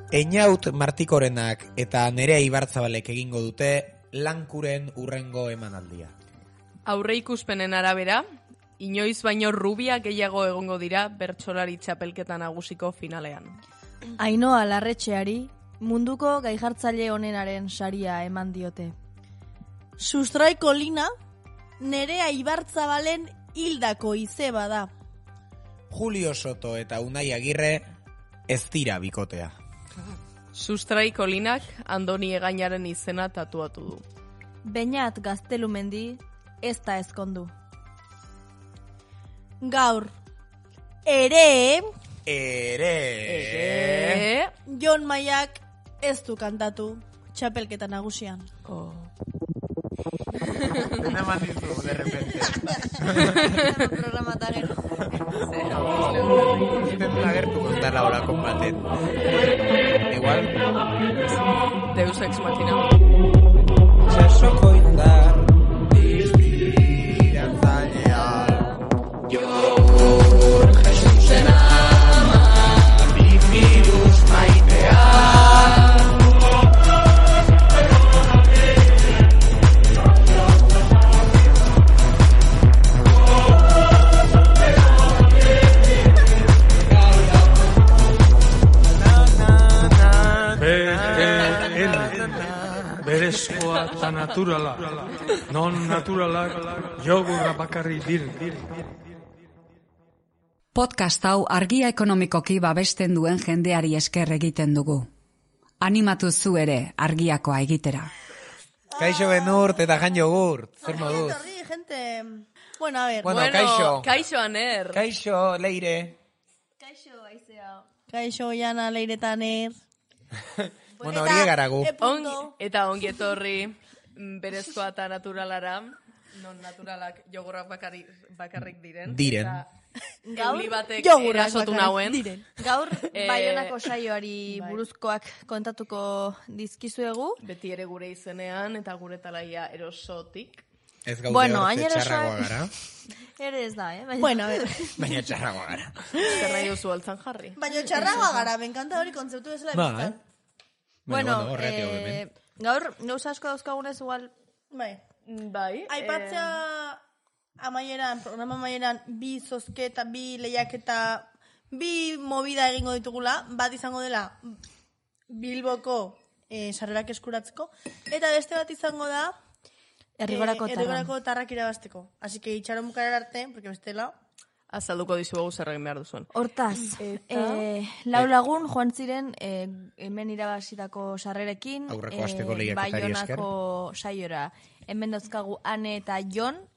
Einaut Martikorenak eta Nerea Ibartzabalek egingo dute Lankuren urrengo emanaldia. Aurreikuspenen arabera, inoiz baino rubia gehiago egongo dira bertsolari txapelketa nagusiko finalean. Ainhoa Larretxeari munduko gaijartzaile onenaren saria eman diote. Sustraiko lina Nerea Ibartzabalen hildako izeba da. Julio Soto eta Unai Agirre ez dira bikotea. Sustraiko linak Andoni Egainaren izena tatuatu du. Beñat Gaztelumendi ez da ezkondu. Gaur, ere, Jon Maiak ez du kantatu txapelketa nagusian. Dena mandizu, de repente. Programa eta gero. Zuten lagertu kontara horakon baten. Igual. Deus Ex Machina. Txasoko indar, diztirantzailean. Jogur, Jesusen ama, bifirus maitean. Berezkoa eta naturala, non naturalak jogurra bakarri dir. Podcast hau argia ekonomikoki babesten duen jendeari esker egiten dugu. Animatu zu ere argiakoa egitera. Kaixo Benurt eta Jan Jogurt, zer moduz? Gente. Bueno, a ver. Bueno, kaixo. Kaixo Aner. Kaixo Leire. Kaixo Aizea. Kaixo Jana Leiretaner. Bueno, hori egaragu. Eta ongi etorri berezkoa eta naturalara, non naturalak jogurrak bakarrik diren. Gaur, batek erasotu nauen. Gaur, Baionako saioari buruzkoak kontatuko dizkizuegu. Beti ere gure izenean eta gure talaia erosotik. Ez gaude hortze txarragoa gara. Ere ez da, Bueno, a ver. Baina txarragoa gara. Zer nahi duzu altzan jarri. Baina txarragoa gara, benkanta hori kontzeptu bezala biztan. Bueno, gaur, gauza asko dauzkagunez igual. Bai. Aipatzea amaieran, programa amaieran, bi zozketa, bi lehiaketa, bi movida egingo ditugula, bat izango dela Bilboko sarrerak eskuratzeko, eta beste bat izango da Errigorako tarrak irabazteko. Así que itxaron bukarar arte, porque bestela azalduko dizuegu zer egin behar duzuen. Hortaz, lau lagun joan ziren hemen irabazitako sarrerekin, aurreko asteko lehiaketari esker. Baionako saiora. Hemen dauzkagu Ane eta Jon,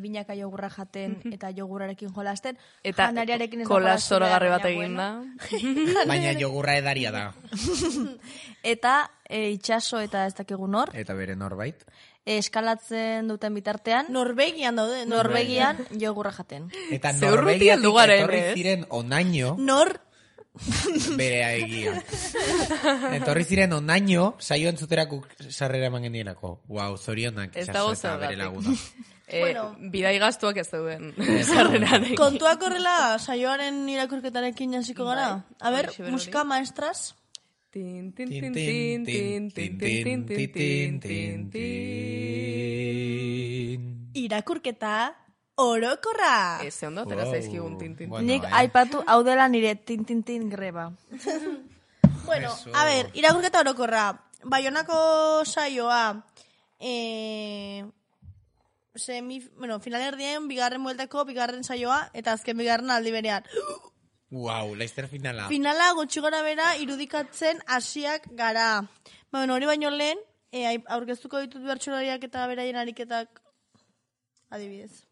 binaka jogurra jaten eta jogurrarekin jolasten. Eta kola zoragarri bat egin da. Baina jogurra edaria da. Eta itxaso eta ez dakigu nor. Eta bere norbait. Eskalatzen duten bitartean. Norvegian daude. Norvegian jogurra jaten. Eta Norvegiatik etorri ziren onaino. Bere egia. Etorri ziren onaino, saio entzuterako sarrera eman genienako. Wow, zorionak itxaso eta bere laguna. Bidai gastuak ez duen sarrerarekin. Kontuak horrela saioaren irakurketarekin hasiko gara. A ver, musika maestras. Irakurketa orokorra. Eze ondo, tera zaizkigun tintin. Nik aipatu hau dela nire tintintin greba. Bueno, a ver, irakurketa orokorra. Baionako saioa finalerdien bigarren bueltako bigarren saioa eta azken bigarren aldi berean. Wow, laizter finala. Finala gutxi gora bera irudikatzen hasiak gara. Hori baino lehen, aurkeztuko ditut bertsolariak eta beraien ariketak adibidez.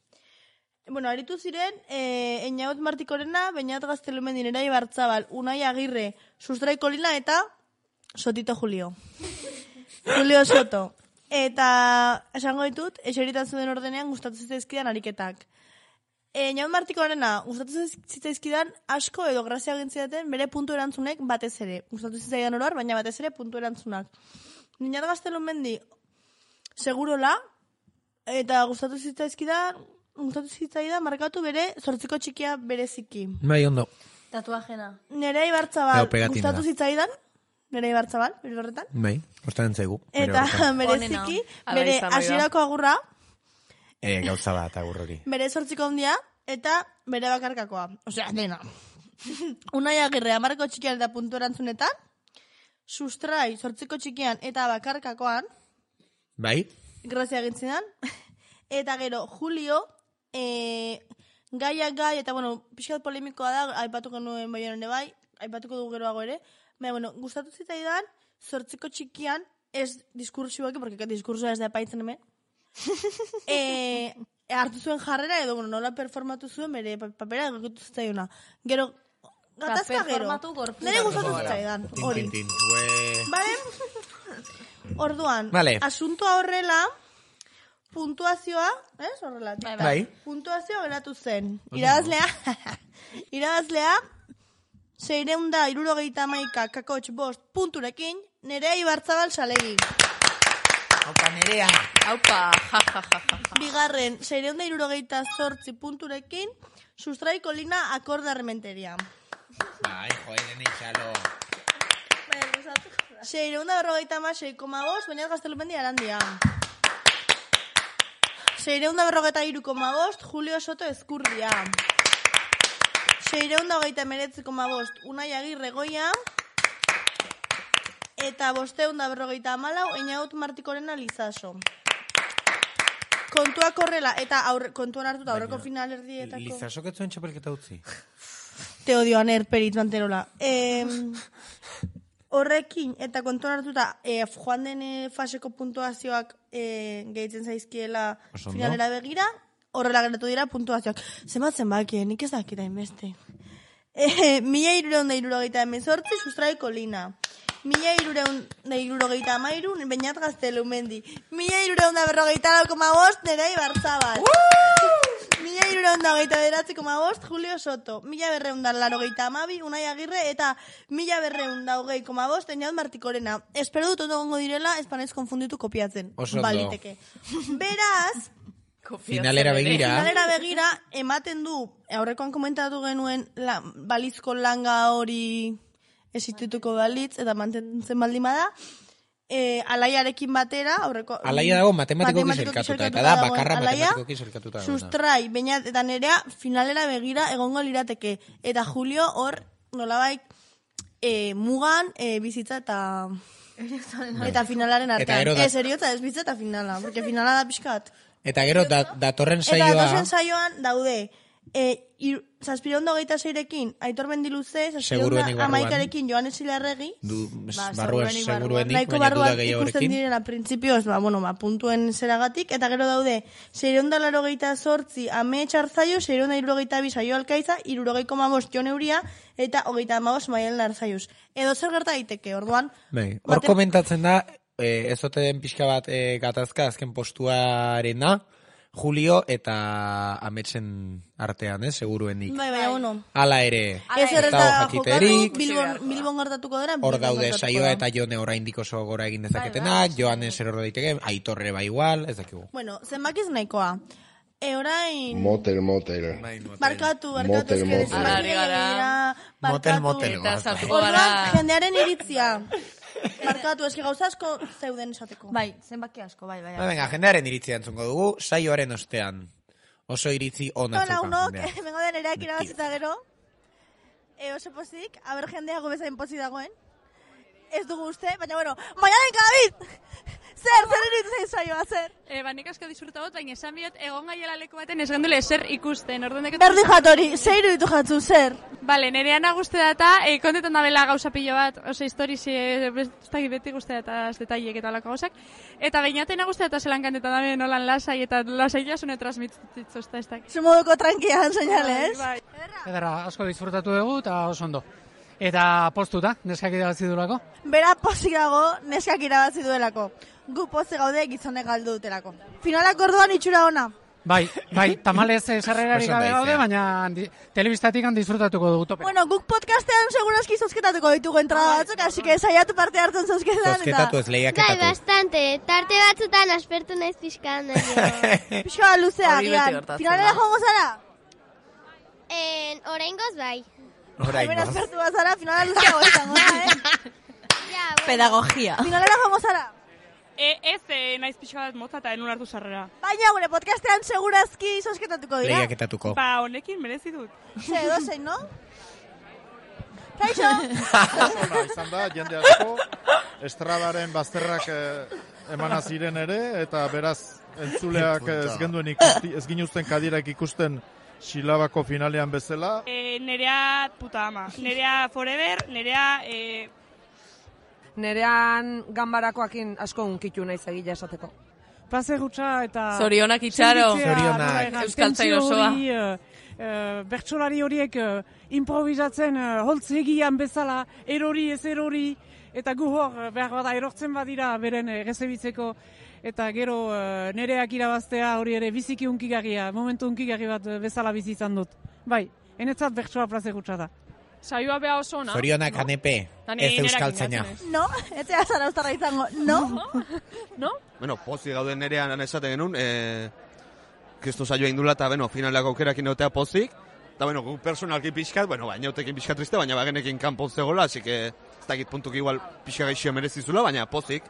Aritu ziren, Einaut Martikorena, Beñat Gaztelumendi, Nerea Ibartzabal, Unai Agirre, Sustraiko Lina eta Sotito Julio. Julio Soto. Eta esango ditut, eserita zuen ordenean gustatu zitzaizkidan ariketak. Einaut Martikorena gustatu zitzaizkidan asko edo grazia gintzidaten bere puntu erantzunek batez ere. Gustatu zitzaidan oroar, baina batez ere puntu erantzunak. Beñat Gaztelumendi segurola, eta gustatu zitzaidan markatu bere zortziko txikia bereziki. Bai, ondo. Tatuajena. Nerea Ibartzabal gustatu zitzaidan, Nere Ibarzabal, bere horretan. Bai, ostaren zaigu. Eta bereziki, bere hasierako agurra. Gauza bat agur hori. Bere 8 handia eta bere bakarkakoa. Osea, dena. Unai Agirre 10 txikian eta puntu erantzunetan, Sustrai 8 txikian eta bakarkakoan. Bai. Grazia egintzidan. Eta gero, Julio, gaiak gai, eta bueno, pixkat polemikoa da, aipatuko nuen bai, aipatuko dugu geroago ere. Baina, bueno, gustatu zitzaidan, 8 txikian, ez diskursioak, porque diskursoa ez da epaitzen hemen. Hartu zuen jarrera, edo, bueno, nola performatu zuen, bere papera egokitu zitzaiona. Gero, gatazka gero. Nere gustatu zitzaidan, hori. Bale? Orduan, asuntoa horrela, puntuazioa, horrela. Bai. Puntuazioa geratu zen. Irabazlea, 671 punturekin, Nerea Ibarzabal Salegi. Aupa, Nerea. Aupa, Bigarren, 678 punturekin, Sustrai Kolina Akorde Armenteria. Ai, joder, neixalo. 656,5, Beñat Gaztelumendi Arandia. 653,5, Julio Soto Ezkurdia. 629,5, Unai Agirre Goia. Eta 554, Eñaut Martikorena Lizaso. Kontuak horrela, eta kontuan hartuta aurreko finalerdietako. Lizaso ketzuen txapelketa utzi. Te odio, Aner, Perit, Manterola. Horrekin, eta kontuan hartuta, joan den faseko puntuazioak gehitzen zaizkiela finalera begira, horrela geratu dira puntuazioak. Zenbatzen bakien, nik ez dakita inbeste. 1.378, Sustrai Kolina. 1.373, Beñat Gaztelumendi. 1.344,5, Nerea Ibarzabal. 1.329,5, Julio Soto. 1.282, Unai Agirre, eta 1.220,5, Eñaut Martikorena. Espero dut ondo gongo direla, espanez konfunditu kopiatzen. Baliteke. Beraz, finalera begira, ematen du, aurrekoan komentatu genuen balizko langa hori existituko balitz, eta mantentzen baldima da, Alaiarekin batera, aurreko... Alaia dago matematikoki zerkatuta, eta da bakarra matematikoki zerkatuta. Sustrai, Beñat eta Nerea finalera begira egongo lirateke. Eta Julio hor nolabait mugan bizitza eta finalaren artean. Eriotza ez bizitza eta finala, porque finala da pixkat. Eta gero datorren saioa... Eta datorren saioan daude... 726rekin Aitor Mendiluze, 711rekin Joan Esilarregi, barruan seguruenik, nahiko barruan ikusten direna printzipioz, puntuen zeragatik, eta gero daude 688 Ame Txarzaio, 672 Saio Alkaiza, 60,5 Jon Euria, eta 35 Maialen Arzaiuz. Edo zer gerta daiteke, orduan... Hor komentatzen da, ez ote den pixka bat gatazka azken postuarena, Julio eta Ametsen artean, seguruenik. Bai, ono. Hala ere. Ez erreta jokatu, Bilbon gertatuko dara. Hor daude saioa eta Jone oraindik oso gora egin dezaketenak, Joanen zer hor daiteke, Aitorre bai igual, ez dakigu. Bueno, zenbakiz nahikoa. Orain... Motel. Barkatu, Motel. Orduan, jendearen iritzia. Barkatu, eski gauza asko zeuden esateko. Bai, zenbaki asko, bai. Venga, jendearen iritzia entzungo dugu, saioaren ostean. Oso iritzi ona zukan jendea. Bengo den ereak irabazita gero. Oso pozik, haber jendea gobezain pozik dagoen. Ez dugu uste, baina bueno, Maialen David! Zer iritzen saioa, zer? Nik asko disfruta baina esan biot, egon gaiela leku baten ez gendule zer ikusten. Berdi jatori, zer iruditu jatzu, zer? Bale, nerean aguste data, kontetan da bela gauza pilo bat, oso historiz, beti guzti data detaiek eta olako gauzak. Eta beinaten aguste data zelan kantetan da ben holan lasai, eta lasai jasune transmititzitzu ez da. Zumoduko tranquian, soñales. Edara, asko disfrutatu dugu eta oso ondo. Eta postuta, neskak irabazi duelako? Bera pozik dago, neskak irabazi duelako. Gu pozik gaude gizonek galdu dutelako. Finalak orduan itxura ona. Bai, tamalez sarrerarik gabe gaude, baina telebistatik disfrutatuko dugu tope. Bueno, guk podcastean segurazki zozketatuko ditugu entrada batzuk, así que saiatu parte hartzen zozketan. Zozketatu ez lehiaketatu. Bai, bastante. Tarte batzutan aspertu naiz pixkan. Pixka luzea, gian. Finalera jongo zara? Oraingoz bai. Oraingoz. Hemen aspertu bazara, finala luzea izango da, Pedagogia. Finalera joango zara? Ez, naiz pixo bat motza eta enun hartu sarrera. Baina gure podcastean segurazki sosketatuko dira. Lehiaketatuko. Ba, honekin merezi dut. Edozein, no? Kaixo! Izan da, jende asko, Estradaren bazterrak emana ziren ere, eta beraz, entzuleak ez genduen ikusti, ez ginuzten kadirak ikusten Xilabako finalean bezala. Nerea puta ama. Nerea forever, nerea... Nerean ganbarakoakin asko unkitu naiz egila esateko. Plazer gutxa eta... Zorionak itxaro. Zorionak. Euskaltzain osoa. Bertsolari horiek improvisatzen holtz egian bezala, erori ez erori, eta gu hor behar bada erortzen badira beren rezebitzeko, eta gero nereak irabaztea hori ere biziki unkigarria, momentu unkigarri bat bezala bizi izan dut. Bai, enetzat bertsoa plazer gutxa da. Saioa beha oso ona. Zorionak anepe, ez euskaltzaina. No, ez ea zara ustarra izango, no? No? Bueno, pozik gauden nerean esaten genuen, kristo saioa indula eta, finaleako aukerakin egotea pozik. Eta, gu personalki pixkat, baina utekin pixkat triste, baina bagenekin kanpon zegoela, así que ez dakit puntuk igual pixka gaixia merezizula, baina pozik.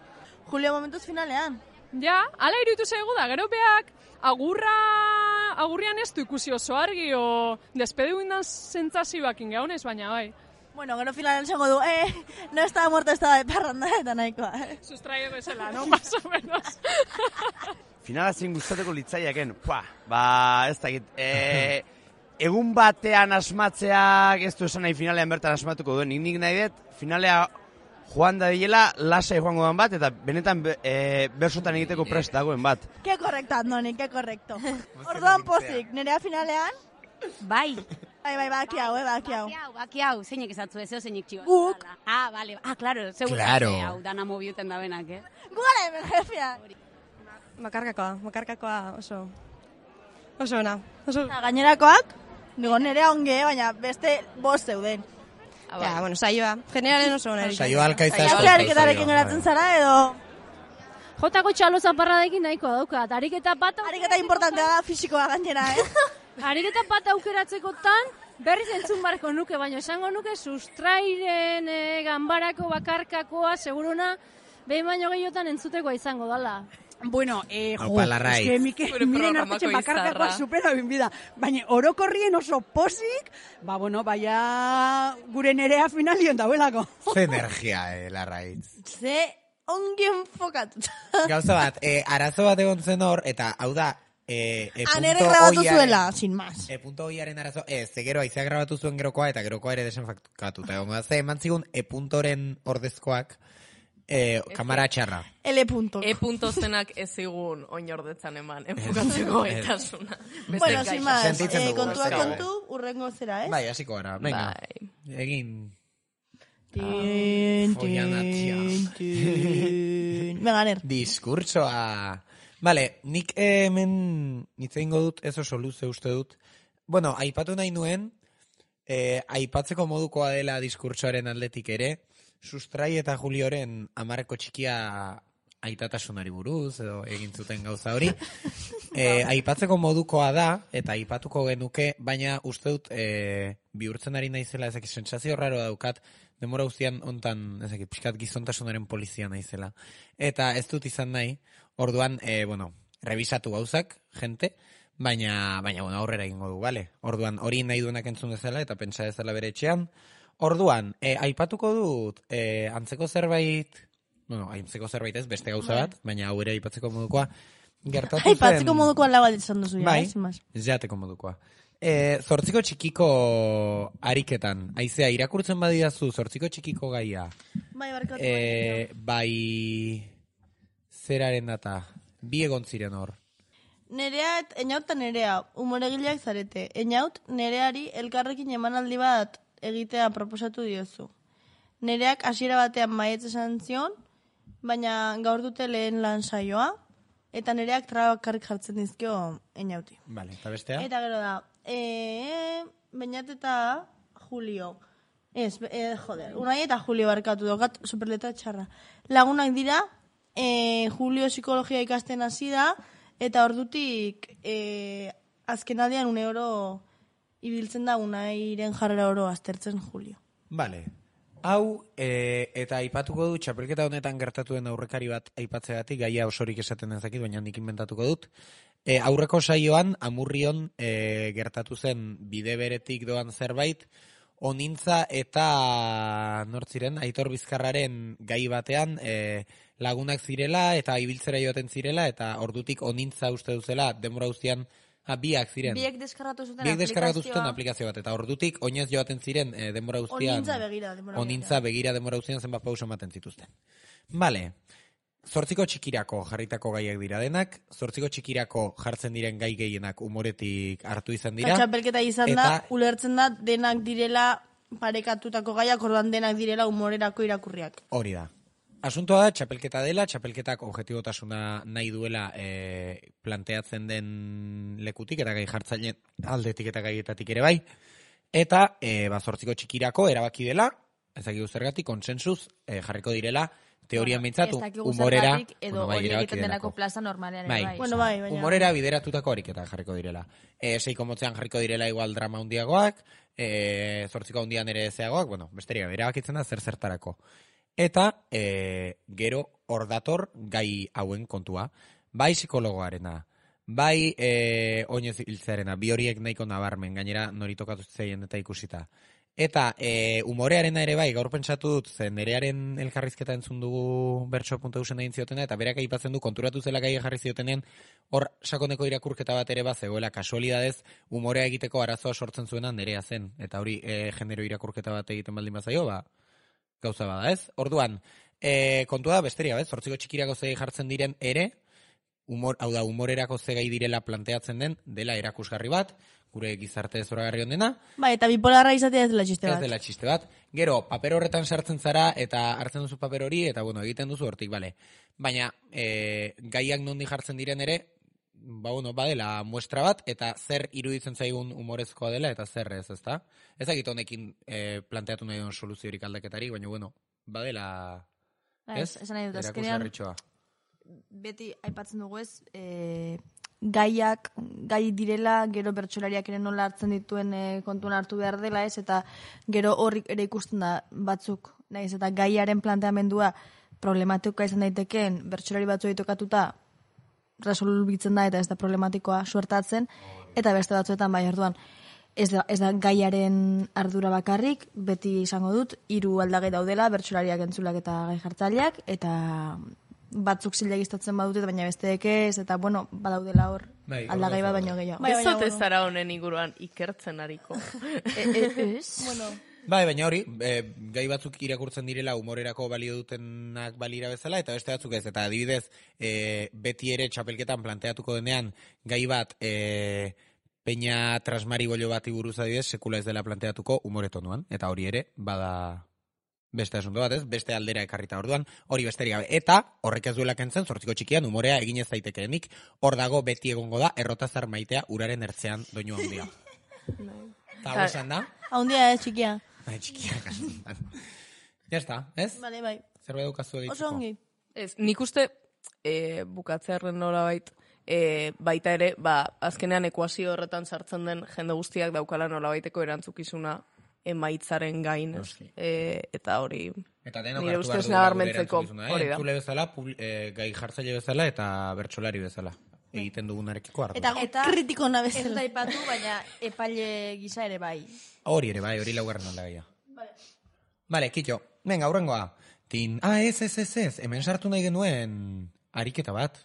Julio momentuz finalean. Ja, ala iruditu zaigu da, gero beak agurrian ez du ikusi oso argi, o despediu indan sentzazioak ingaunez, baina bai. Bueno, gero finalean zango du, no estaba muerto, estaba de parranda, eta nahikoa. Sustraio bezala, no? Más o menos. Finala zin guztateko litzaiaken, ez dakit, egun batean asmatzeak ez du esan nahi finalean bertan asmatuko duen, nik nahi dut, finalea joan da diela, lasai joango den bat, eta benetan bersotan egiteko prest dagoen bat. Ke korrekto, Andoni, ke korrekto. Orduan pozik, nerea finalean? Bai. Bai, baki hau. Baki hau, zeinek esatzu, ezeo zeinek txiba. Guk. Bale, claro, seguro. Claro. Hau, dana mobiuten da benak, Gugara hemen, jefia. Bakarkakoa oso ona. Gainerakoak, digo, nerea onge, baina beste bost zeuden. Ja, bueno, saioa. Generalen oso ona. Saioa alkaitza esko. Ariketarekin geratzen zara, edo... Jotako txalo zaparradekin nahiko daukat. Ariketa importantea da fisikoa gainera, Ariketa bat aukeratzekotan, berriz entzun barko nuke, baina esango nuke sustrairen ganbarako bakarkakoa, seguruna, behin baino gehiotan entzutekoa izango dala. Bueno, miren artetxe bakarkakoa supera binbida. Baina orokorrien oso posik, baina gure nerea finalion dauelako. Ze energia, Larraitz. Ze ongi enfokatuta. Gauza bat, arazo bat egon zen hor, eta hau da, Anere grabatu zuela, sin más. Punto oiaren arazo, gero aizea grabatu zuen gerokoa, eta gerokoa ere desenfakatuta. Ze eman zigun puntoren ordezkoak, kamara txarra. Punto. Punto zenak ez zigun oinordetzan eman, enfokatzeko gaitasuna. Bueno, sin más, kontua kontu, urrengo zera, ez? Bai, hasiko gara, venga. Egin... Meganer. Diskurtsoa... Vale, nik hemen nitzein dut, ez oso luze uste dut. Bueno, aipatu nahi nuen, aipatzeko modukoa dela diskurtsoaren aldetik ere, Sustrai eta Julioren amarreko txikia aitatasunari buruz, edo egin zuten gauza hori. Aipatzeko modukoa da, eta aipatuko genuke, baina uste dut bihurtzen ari naizela, ezak sentsazio raro daukat, demora guztian ontan, ezak pixkat gizontasunaren polizia naizela. Eta ez dut izan nahi, orduan, revisatu gauzak, gente, baina aurrera egingo du, bale? Orduan, hori nahi duenak entzun dezala, eta pentsa dezala bere etxean. Orduan, aipatuko dut, antzeko zerbait, antzeko zerbait ez, beste gauza bat, baina hau ere aipatzeko modukoa, gertatu zen... Aipatzeko modukoa lau bat izan duzu, bai, ez jateko modukoa. Zortziko txikiko ariketan, aizea, irakurtzen badidazu, zortziko txikiko gaia. Bai, barkatu. Bai, zeraren data, bi egon ziren hor. Nerea, enaut eta nerea, umoregileak zarete. Enaut, nereari elkarrekin emanaldi bat egitea proposatu diozu. Nereak hasiera batean maietz esan zion, baina gaur dute lehen lan saioa, eta nereak trabakarrik jartzen dizkio enauti. Vale, eta bestea? Eta gero da, Beñat eta Julio. Unai eta Julio barkatu dokat, superletra txarra. Lagunak dira, Julio psikologia ikasten hasi da, eta ordutik azkenaldian €1 ibiltzen da Unairen jarrera oro aztertzen Julio. Vale. hau, eta aipatuko dut, txapelketa honetan gertatu den aurrekari bat aipatzeagatik, gaia osorik esaten ezakit, baina nik inventatuko dut. Aurreko saioan, Amurrion gertatu zen bide beretik doan zerbait, Onintza eta nortziren, Aitor Bizkarraren gai batean lagunak zirela eta ibiltzera joaten zirela, eta ordutik Onintza uste duzela denbora guztian biak ziren. Biek deskargatu zuten aplikazio bat, eta ordutik oinez joaten ziren denbora guztian. Onintza begira denbora guztian zenbat pauso ematen zituzten. Vale. 8 txikirako jarritako gaiak dira denak, 8 txikirako jartzen diren gai gehienak umoretik hartu izan dira. Txapelketa izan da, ulertzen da, denak direla parekatutako gaiak, orduan denak direla umorerako irakurriak. Hori da. Asuntoa da, txapelketa dela, txapelketak objetibotasuna nahi duela planteatzen den lekutik, eta gai jartzaileen aldetik eta gaietatik ere bai. Eta, 8 txikirako erabaki dela, ezakik zergatik, konsensuz jarriko direla, teorian mintzatu, umorera... edo hori egiten denako plaza normalean. Bai, umorera bideratutako ariketa jarriko direla. 6 motzean jarriko direla igual drama hundiagoak, 8 hundian ere zeagoak, besteria, erabakitzen da zertarako. Eta gero hor dator gai hauen kontua. Bai psikologoarena, bai oinez hiltzearena, bi horiek nahiko nabarmen, gainera nori tokatu zeien eta ikusita. Eta umorearena ere bai, gaur pentsatu dut, zen nerearen elkarrizketa entzun dugu bertso.eusen egin ziotena, eta berak aipatzen du konturatu zela gai jarri ziotenean, hor sakoneko irakurketa bat ere bat zegoela, kasualidadez, umorea egiteko arazoa sortzen zuena nerea zen, eta hori genero irakurketa bat egiten baldin bazaio, gauza bada, ez? Orduan, kontua da besteria, bez? 8 txikirako zei jartzen diren ere, umorerako zegai direla planteatzen den, dela erakusgarri bat, gure gizarte zoragarri ondena. Eta bipolarra izatea ez dela txiste bat. Ez dela txiste bat. Gero, paper horretan sartzen zara, eta hartzen duzu paper hori, eta egiten duzu hortik, bale. Baina, gaiak nondi jartzen diren ere, badela muestra bat, eta zer iruditzen zaigun umorezkoa dela, eta zer ez, ezta? Ezagit honekin planteatu nahi duen soluziorik aldaketari, baina, badela, ez? Esan nahi dut, azkenean, beti aipatzen dugu ez, gai direla, gero bertsolariak ere nola hartzen dituen kontuan hartu behar dela ez, eta gero horrik ere ikusten da batzuk, nahiz, eta gaiaren planteamendua problematikoa izan daitekeen bertsolari batzu ditokatuta resolbitzen da eta ez da problematikoa suertatzen, eta beste batzuetan bai orduan. Ez da gaiaren ardura bakarrik, beti izango dut, 3 aldagai daudela, bertsolariak entzulak eta gai jartzaileak, eta batzuk zilegistatzen badute, baina besteek ez, eta badaudela hor aldagai bat baino gehiago. Ez zote zara honen inguruan ikertzen ariko. Baina hori, gai batzuk irakurtzen direla umorerako balio dutenak balira bezala, eta beste batzuk ez, eta adibidez, beti ere txapelketan planteatuko denean, gai bat, peña trasmari bollo bati buruz adibidez, sekula ez dela planteatuko umoretonuan, eta hori ere, bada... Beste asunto bat ez, beste aldera ekarrita orduan, hori besterik gabe. Eta, horrek ez duela kentzen, 8 txikian umorea egin ez daitekeenik, hor dago beti egongo da, errotazar maitea uraren ertzean doinu handia. Eta hau esan da? Handia ez, txikia. Txikia, kasuntan. Ya está, ez? Vale, bai. Zerbait dukazu egitzeko. Oso ongi. Ez, nik uste bukatzearen nola baita ere, azkenean ekuazio horretan sartzen den jende guztiak daukala nola baiteko erantzukizuna emaitzaren gain, eta hori nire ustez nabarmentzeko hori da. Entzule bezala, gai jartzaile bezala eta bertsolari bezala. Egiten dugunarekiko hartu. Eta kritiko nabezela. Ez da ipatu, baina epaile gisa ere bai. Hori ere bai, hori laugarren aldagaia. Vale, kitxo, venga, aurrengoa. Ez, hemen sartu nahi genuen ariketa bat.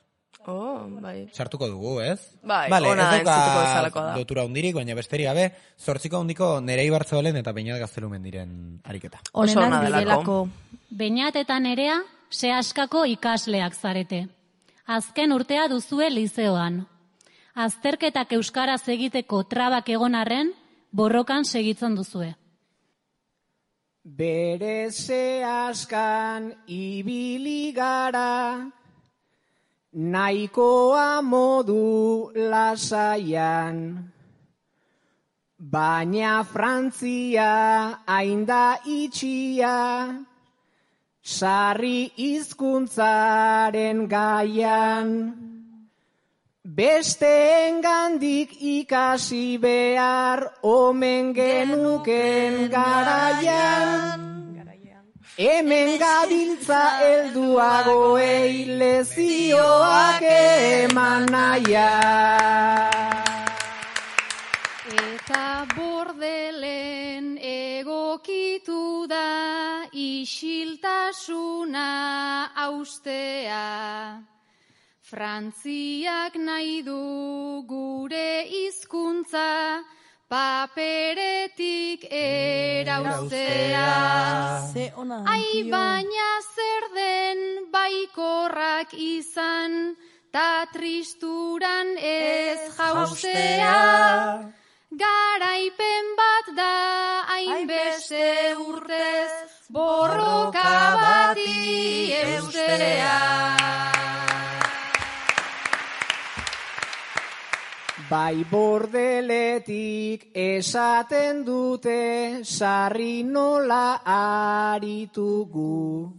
Bai. Sartuko dugu, ez? Bai, ona entzutuko bezalako da. Lotura hundirik, baina besterik gabe, 8 hundiko Nerei Bartzolen eta Beñat Gaztelumen diren ariketa. Oso ona delako. Beñat eta Nerea sehaskako ikasleak zarete. Azken urtea duzue lizeoan. Azterketak euskaraz egiteko trabak egon arren, borrokan segitzen duzue. Bere sehaskan ibili gara, nahikoa modu lasaian, baina Frantzia hainda itxia, sarri hizkuntzaren gaian, besteengandik ikasi behar omen genuken garaian. Hemen gabiltza helduagoei lezioak eman naia. Eta Bordelen egokitu da isiltasuna austea. Frantziak nahi du gure hizkuntza paperetik erauztea. Ai, baina zer den baikorrak izan, ta tristuran ez jauztea. Garaipen bat da hainbeste urtez, borroka bati eustea. Bai Bordeletik esaten dute sarri nola aritugu.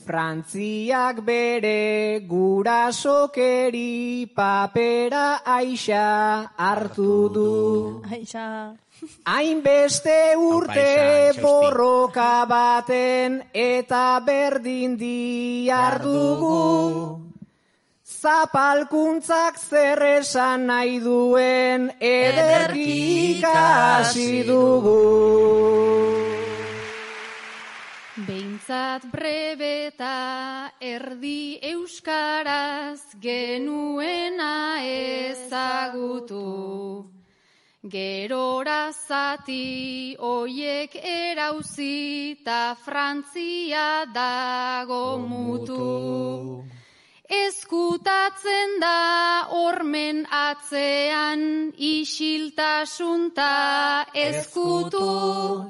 Frantziak bere gurasokeri papera aixa hartu du. Hainbeste urte borroka baten eta berdin diardugu. Zapalkuntzak zer esan nahi duen ederki ikasi dugu. Behintzat brebeta erdi euskaraz genuena ezagutu. Gerora zati oiek erauzi ta Frantzia dago mutu. Ezkutatzen da hormen atzean isiltasun ta ezkutu.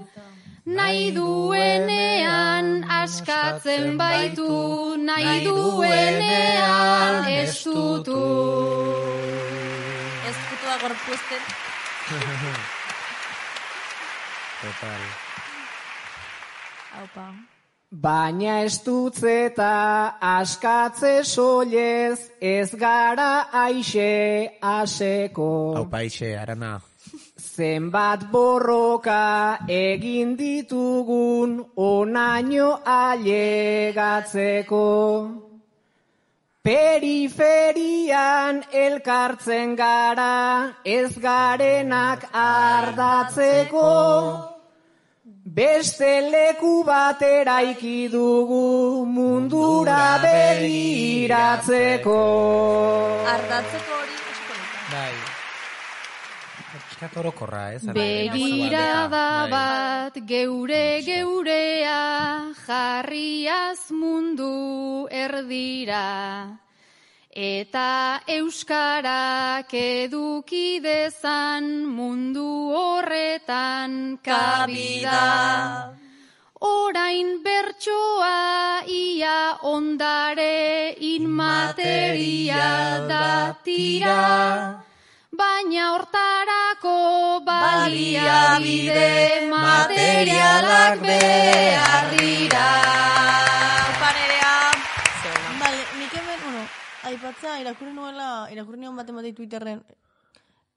Nahi duenean askatzen baitu, nahi duenean estutu. Eskutua gorpuesten. Total. Aupa. Baina estutzeta askatze soilez ez gara aixe aseko. Aupa aixe, arana. Zenbat borroka egin ditugun onaino ailegatzeko. Periferian elkartzen gara ez garenak ardatzeko. Beste leku bat eraiki dugu mundura begiratzeko. Ardatzeko hori eskoleta. Bai. Begirada bat geurea jarriaz mundu erdira. Eta euskarak eduki dezan mundu horretan kabida. Orain bertsoa ia ondare inmaterial da tira. Baina hortarako baliabide materialak behar dira. Panerea. Vale, nik hemen, aipatza, irakurri nion bat ematei Twitterren,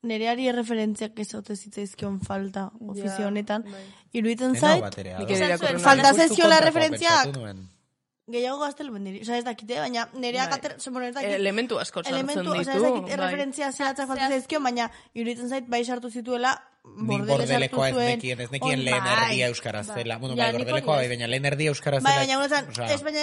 nereari referentziak ez haute zitzaizkion falta ofizio honetan. Iruditzen zait, falta zeziola referentziak. Gehiago gaztelu bendiri. Osa ez dakite, baina nereak elementu asko sartzen ditu. Osa ez dakit referentzia zehatzak falta zaizkio, baina iruditzen zait bai sartu zituela Bordelekoa ez nekien lehen erdia euskaraz zela. Bueno, bai, Bordelekoa bai, baina lehen erdia euskaraz zela. Baina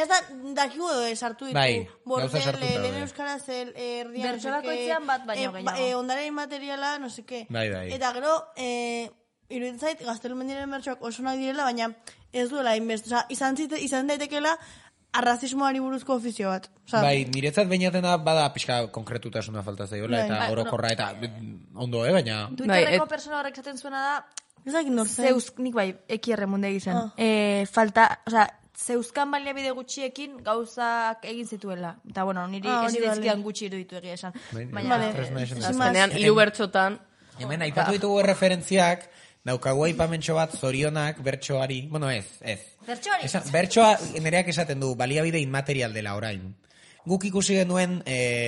ez da, dakigu sartu ditu. Bordele, lehen euskaraz erdia. Bertxolakoitzean bat baino gehiago. Ondare materiala, no seke. Bai. Eta gero, iruditzen zait, gaztelu mendiren bertxoak oso nahi direla, baina ez duela inbest. Osa, izan daitekela, arrazismoari buruzko ofizio bat. Bai, niretzat bainatena bada pixka konkretutasuna falta zaiola, eta orokorra, eta ondo, baina... Twitterreko persona horrek zaten zuena da... Ezak nortzen. Zeus, nik bai, ekierre munde egizan. Falta, oza, zeuzkan baliabide gutxiekin gauzak egin zituela. Eta, bueno, niri ez zizkidan gutxi iruditu egia esan. Baina, azkenean, hiru bertxotan... Hemen, aipatu ditugu referentziak, daukagu aipamentxo bat zorionak bertsoari, bueno ez. Bertsoa nereak esaten du, baliabide inmaterial dela orain. Guk ikusi genuen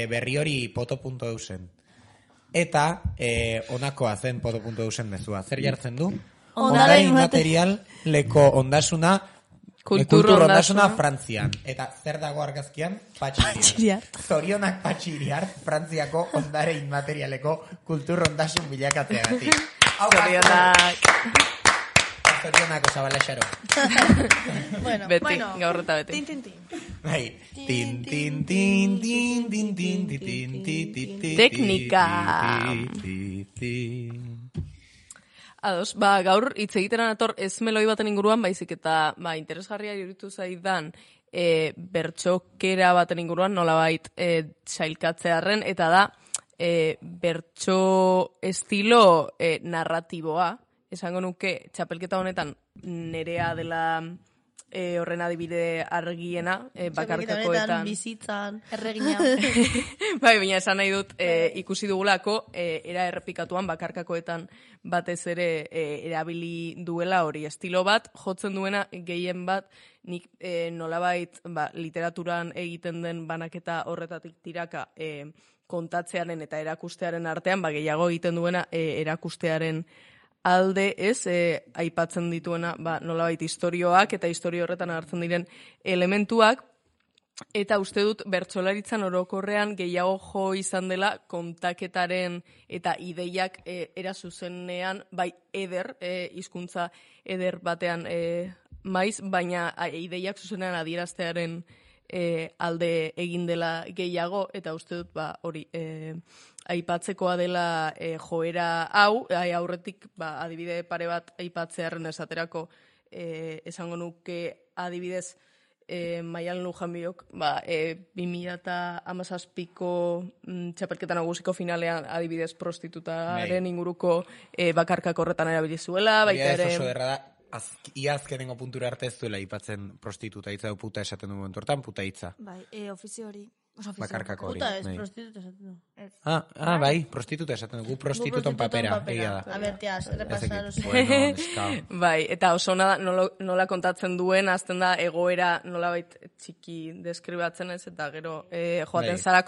berri hori poto.eusen. Eta onakoa zen poto.eusen mezua. Zer jartzen du? Ondare inmaterial leko ondasuna Kulturondasuna Frantzian. Eta zer dago argazkian? Patxiriart. Zorionak Patxiriart, Frantziako ondare inmaterialeko kulturrondasun bilakatzeagatik. Zorionak. Zorionako zabala xaro. Beti, gaur eta beti. Bai. Tin, tin, tin, tin, tin, tin, tin, tin, tin, teknika. Ados, gaur hitz egiteran ator ez meloi baten inguruan, baizik eta interesgarria iruditu zaidan bertxokera baten inguruan nolabait sailkatzearren, eta da bertxo estilo narratiboa. Esango nuke, txapelketa honetan nerea dela horren adibide argiena, bakarkakoetan. Bizitzan, erregina. Bai, baina esan nahi dut, ikusi dugulako, era errepikatuan bakarkakoetan batez ere erabili duela hori. Estilo bat, jotzen duena gehien bat, nik nolabait literaturan egiten den banaketa horretatik tiraka kontatzearen eta erakustearen artean, gehiago egiten duena erakustearen alde aipatzen dituena nolabait istorioak eta istorio horretan hartzen diren elementuak, eta uste dut bertsolaritzan orokorrean gehiago jo izan dela kontaketaren eta ideiak era zuzenean, bai eder, hizkuntza eder batean maiz, baina ideiak zuzenean adieraztearen alde egin dela gehiago, eta uste dut hori aipatzekoa dela joera hau, aurretik adibide pare bat aipatzearen esaterako esango nuke adibidez Maialen Lujanbiok 2017ko txapelketa nagusiko finalean adibidez prostitutaren inguruko bakarkak horretan erabili zuela, baita ere... Oso derra da, ia azkenengo puntura arte ez duela aipatzen prostituta hitza, puta esaten du momentu hortan, puta hitza. Bai, ofizio hori. Bakarkako hori. Puta ez, prostituta esaten du. Bai, prostituta esaten du, prostituton papera. A ber, tia, repasar oso. Bai, eta oso nola kontatzen duen, azten da egoera nolabait txiki deskribatzen ez, eta gero joaten zara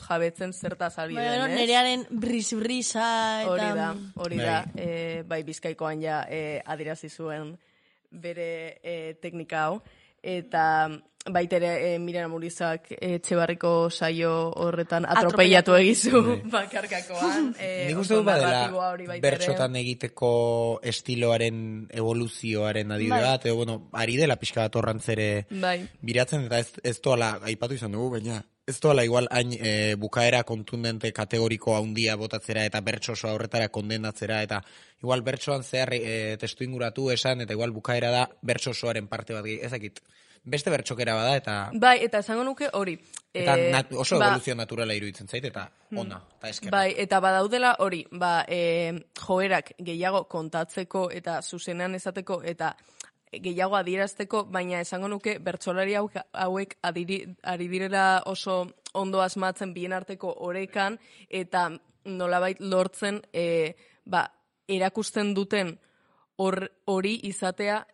jabetzen zertaz ari den, ez? Nerearen brisa eta... Hori da, bai, Bizkaikoan ja adirazi zuen bere teknika hau, eta baitere Miren Amurizak Etxebarriko saio horretan atropellatu egizu bakarkakoan. Nik uste dut badela bertxotan egiteko estiloaren evoluzioaren adibide bat, ari dela pixka bat horrantzere biratzen, eta ez doala, aipatu izan dugu, baina ez doala igual hain bukaera kontundente kategoriko handia botatzera eta bertso oso horretara kondenatzera, eta igual bertsoan zehar testu inguratu esan, eta igual bukaera da bertso osoaren parte bat ezakit. Beste bertxokera bada, eta... Bai, eta esango nuke hori. Eta oso evoluzio naturala iruditzen zait, eta ona, eta eskerra. Bai, eta badaudela hori, joerak gehiago kontatzeko eta zuzenean esateko, eta gehiago adierazteko, baina esango nuke bertsolari hauek ari direla oso ondo asmatzen bien arteko orekan, eta nolabait lortzen erakusten duten hori izatea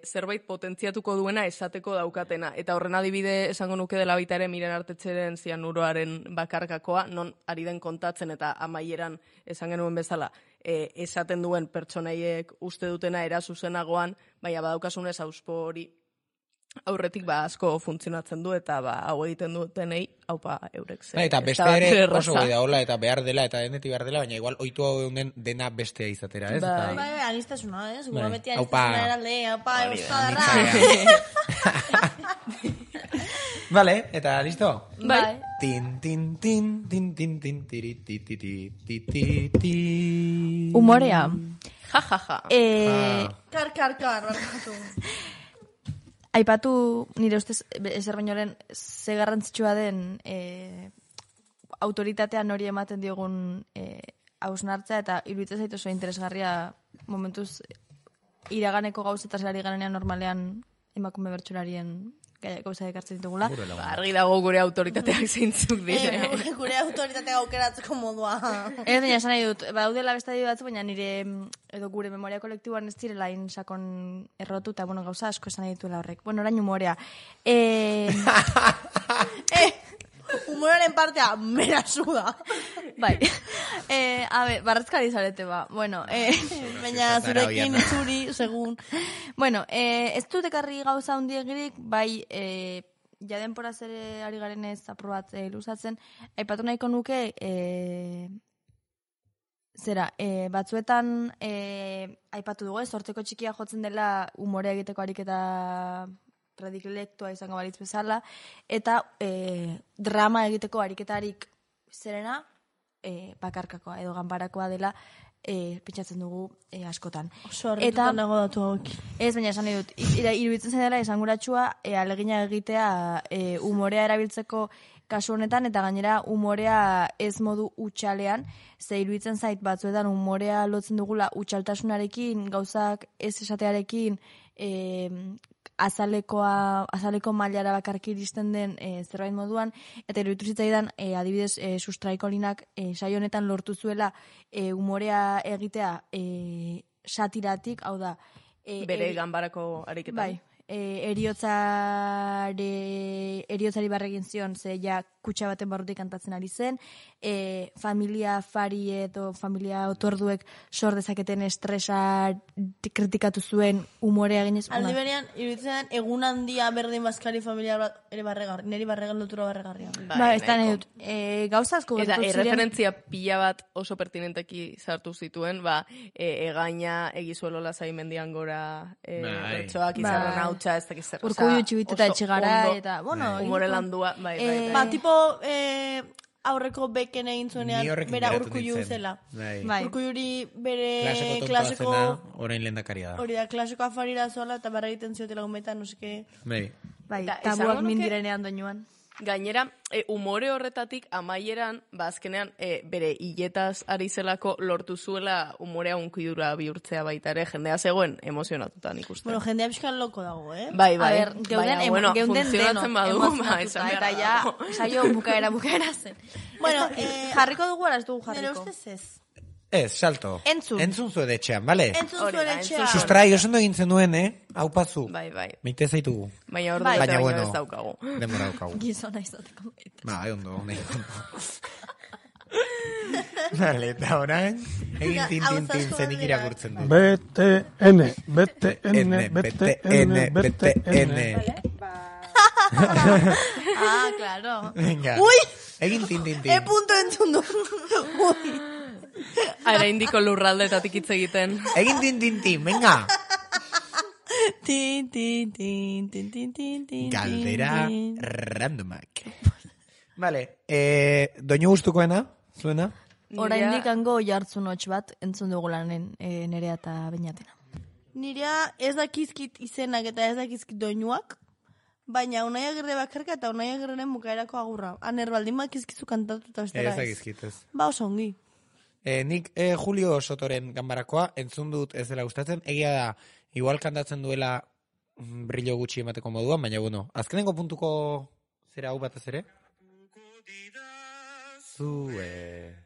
zerbait potentziatuko duena esateko daukatena. Eta horren adibide esango nuke dela baita ere Miren Artetxeren zianuroaren bakarkakoa, non ari den kontatzen eta amaieran esan genuen bezala esaten duen pertsonaiek uste dutena era zuzenagoan, baina badaukasunez auspo hori aurretik asko funtzionatzen du, eta hau egiten dutenei haupa eurek zen. Eta beste ere oso goi da hola, eta behar dela, eta deneti behar dela, baina igual oitu hau den dena bestea izatera, ez? Bai, anistasuna, ez? Gura beti anistasuna eralde, haupa, euskadarra. Vale, eta listo? Bai. Tin, tin, tin, tin, tin, tin, tiri, ti, ti, ti, ti, ti, ti. Humorea. Ja, ja, ja. Kar, barkatu. Aipatu nire ustez ezer bainoren ze garrantzitsua den autoritatean hori ematen diogun hausnartza, eta iruditzen zait oso interesgarria momentuz iraganeko gauzetaz ari garenean normalean emakume bertsolarien gauza ekartzen ditugula. Argi dago gure autoritateak zeintzuk dira. Gure autoritatea aukeratzeko modua. Ez baina esan nahi dut, daudela beste adibide batzu, baina nire edo gure memoria kolektiboan ez direla sakon errotu, eta gauza asko esan nahi dituela horrek. Orain humorea. humoraren partea, merazu da. Bai. Barratzkari zarete ba. Bueno, baina zurekin zuri, segun. Bueno, ez dut ekarri gauza hundiegirik, bai, ja denporaz ere ari garen ez aprobat luzatzen, aipatu nahiko nuke, batzuetan aipatu dugu, sorteko txikia jotzen dela umore egiteko ariketa predilectoa izango balitz bezala, eta drama egiteko ariketarik zerena bakarkakoa edo ganbarakoa dela pentsatzen dugu askotan. Oso harrituta nago datu hauek. Ez, baina esan nahi dut, iruditzen zen dela esanguratsua alegina egitea umorea erabiltzeko kasu honetan, eta gainera umorea ez modu utxalean, ze iruditzen zait batzuetan umorea lotzen dugula utxaltasunarekin, gauzak ez esatearekin, azaleko mailara bakarki iristen den zerbait moduan, eta iruditu zitzaidan adibidez Sustraikolinak saio honetan lortu zuela umorea egitea satiratik, hau da bere ganbarako ariketan. Bai, eriotzari barregin zion, ze ja kutsa baten barrutik kantatzen ari zen, familia fari edo familia otorduek sor dezaketen estresa kritikatu zuen umorea ginez. Aldi berean, iruditzen egun handia berdin bazkari familia ere barregarri, niri barregan lotura barregarria. Ba, ez da nahi dut. Gauza asko eta erreferentzia pila bat oso pertinenteki sartu zituen, egaina egizuelo lasai mendian gora bertsoak izarren hautsa, ez dakiz zer. Urkullu txibituta etxigara, eta, bueno, umore landua, bai. Ba, tipo, aurreko beken egin zuenean, bera Urkullu zela. Urkulluri bere klaseko... orain lehendakaria da. Hori da, klaseko afarira zola, eta barra egiten ziotela gumetan, no seke... Bai, tabuak mindirenean doinuan. Gainera, umore horretatik amaieran, azkenean, bere hiletaz ari zelako lortu zuela umorea unkidura bihurtzea baita ere, jendea zegoen emozionatutan ikusten. Bueno, jendea pixkan loko dago, Bai. Geunden funtzionatzen badu, eta ja, saio bukaera zen. Bueno, jarriko dugu, ara ez dugu jarriko. Nere ustez ez. Ez, salto. Entzun zuen etxean, bale? Entzun zuen etxean. Sustrai, oso egintzen duen, Hau pazu. Bai. Meite zaitugu. Baina hor dut baino ez daukagu. Demora daukagu. Gizona izateko meite. Bai, ondo. Bale, eta orain, egin tin zenik irakurtzen du. BTN. Ah, claro. Venga. Ui! Egin tin. Punto entzun du. Ui! Ara indiko lurraldetatik hitz egiten. Egin tin, venga. Tin. Galdera randomak. Vale, doinu gustukoena, zuena? Oraindik hango jartzun hotx bat entzun dugu lanen Nerea eta Beñatena. Nirea ez dakizkit izenak eta ez dakizkit doinuak, baina Unai Agirre bakarka eta Unai Agirreren bukaerako agurra. Aner baldin bakizkizu kantatu eta bestera ez. Ez dakizkit ez. Ba, oso ongi. Nik Julio Sotoren ganbarakoa entzun dut ez dela gustatzen. Egia da, igual kantatzen duela brillo gutxi emateko moduan, baina bueno, azkenengo puntuko zera hau batez ere? Zue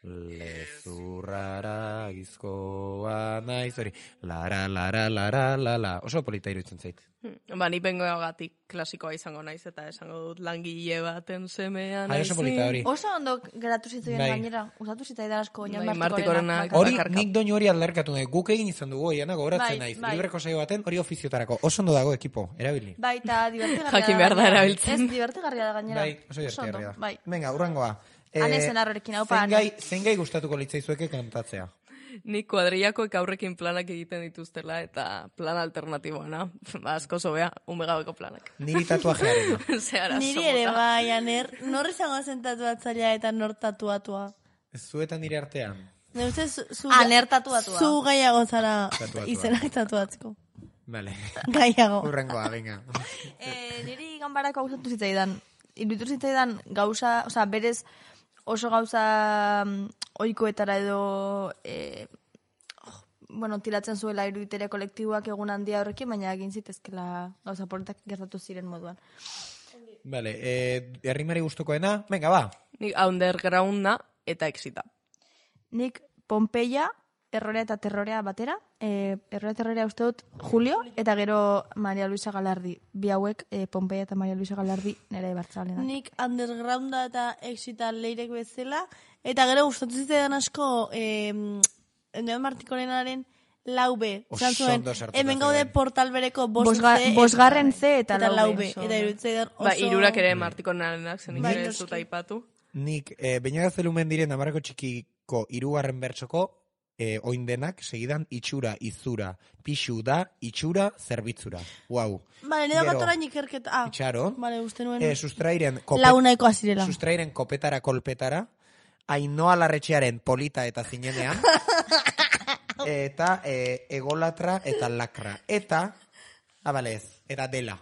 lezurrara gizkoa naiz hori la oso polita iruditzen zait. Ni bengoagatik klasikoa izango naiz eta esango dut langile baten semea naiz. Oso polita hori. Oso ondo geratu zituen gainera. Usatu zitzaidan asko Martikorenak. Hori nik doinu hori aldarkatu nahi. Guk egin izan dugu, Iana, gogoratzen naiz. Libreko saio baten hori ofiziotarako. Oso ondo dago ekipo, erabili. Bai, eta divertigarria da. Jakin behar da erabiltzen. Ez, divertigarria da gainera. Bai, oso divertigarria da. Venga, urrengoa. Hanezen arrorekin, hau pa. Zein gai gustatuko litzaizueke kantatzea? Nik kuadrillakoek aurrekin planak egiten dituztela eta plan alternatiboana. Asko zobea, umegabeko planak. Niri tatuajearen. Niri ere bai, Aner. Nor izango zen tatuatzailea eta nor tatuatua? Zuetan nire artean. Aner tatuatua. Zu gaiago zara izenak tatuatzeko. Vale. Gaiago. Urrengoa, venga. Niri ganbarako gustatu zitzaidan. Iruditu zitzaidan gauza, osea, berez oso gauza ohikoetara edo tiratzen zuela iruditeria kolektiboak egun handia horrekin, baina egin zitezkela gauza politak gertatu ziren moduan. Vale, herrimari gustukoena, venga, ba. Nik undergrounda eta exita. Nik Pompeia Errorea eta Terrorea batera. Errorea Terrorea uste dut Julio, eta gero Maria Luisa Galardi. Bi hauek, Pompeia eta Maria Luisa Galardi nire Bartzalenak. Nik undergrounda eta exita leirek bezala. Eta gero gustatu zitzaidan asko Neon Martikorenaren lau B. Zuen, hemen gaude portal bereko bosgarren C eta lau B. Eta iruditzaidan oso... Irurak ere Martikorenarenak zen ez dut aipatu. Nik, baina zelumen diren amarako txikiko hirugarren bertsoko, oin denak, segidan, itxura, izura, pixu da, itxura, zerbitzura. Wow. Bale, nire batorain ikerketa. Itxaron. Bale, uste nuen. Sustrairen launaiko azirela. Sustrairen kopetara kolpetara, Ainoa Larretxearen polita eta zinenean, eta egolatra eta lakra. Eta, abalez, eta dela.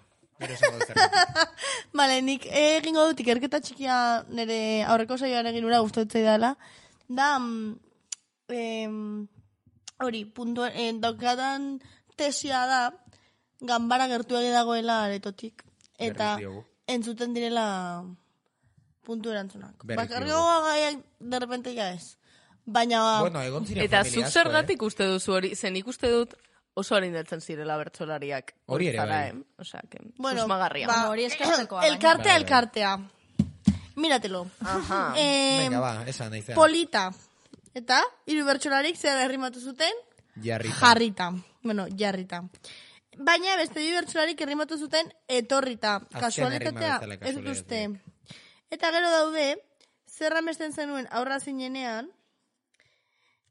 Bale, nik egingo dut ikerketa txikia nire aurreko saioan egin ura gustatzen dela. Da, hori, daukadan tesia da, ganbara gertu dagoela aretotik. Eta entzuten direla puntu erantzunak. Bakarrioa gaiak derrepente ya ez. Baina... Bueno, egon ziren eta zuk zergatik uste duzu hori, zen ikuste dut oso harindatzen zirela bertsolariak. Hori ere bai. Osea, que susmagarria. Hori eskertzekoa. Elkartea. Míratelo. Venga, va, esa naizea. Polita. Eta, hiru bertsolarik zer errimatu zuten? Jarrita. Bueno, jarrita. Baina beste hiru bertsolarik errimatu zuten etorrita. Kasualitatea, ez dut uste. Eta gero daude, zer amesten zenuen aurra zinenean,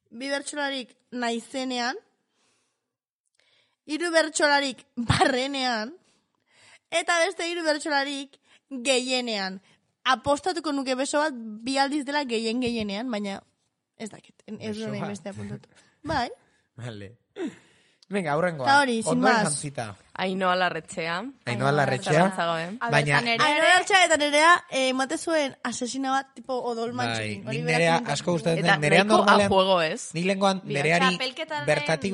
bi bertsolarik naizenean, hiru bertsolarik barrenean, eta beste hiru bertsolarik gehienean. Apostatuko nuke beso bat bi aldiz dela gehienean, baina ez dakit, ez dut nahi beste apuntatu. Bai. Vale. Venga, aurrengoa. Ta hori, sin más. Ainoa Larretxea. Ainoa Larretxea. Baina... Ainoa Larretxea eta Nerea emate zuen asesina bat tipo odol mantxekin. Bai, Nerea asko gustatzen den. Nerea normalean... Nik lengoan Nereari bertatik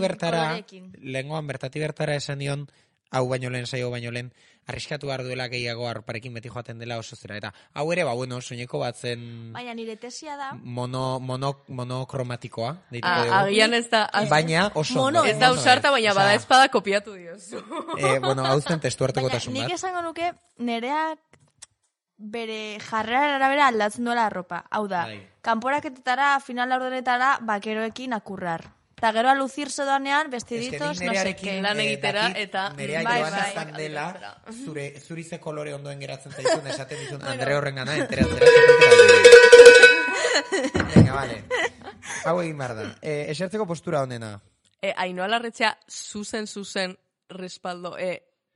bertara esan dion, hau baino lehen, saio baino lehen, arriskatu behar duela gehiago arparekin beti joaten dela oso zera. Eta hau ere, bueno, soineko bat zen... Baina nire tesia da... Monokromatikoa. Agian ez da... Baina oso... Ez da usarta, baina bada espada kopiatu diozu. Bueno, hau zen testu harteko tasun bat. Nik esango nuke, Nereak bere jarrera arabera aldatzen duela arropa. Hau da, kanporaketetara, final laurdenetara, bakeroekin akurrar. Eta gero aluzirse doanean, vestiditos, no sé qué. Lan egitera, eta... Nerea joan izan dela, zurize kolore ondoen geratzen zaizun, esaten dizun, Andre horren gana, enteratzera. Venga, vale. Hau egin behar da. Esertzeko postura honena. Ainoa Larretxea, zuzen, respaldo,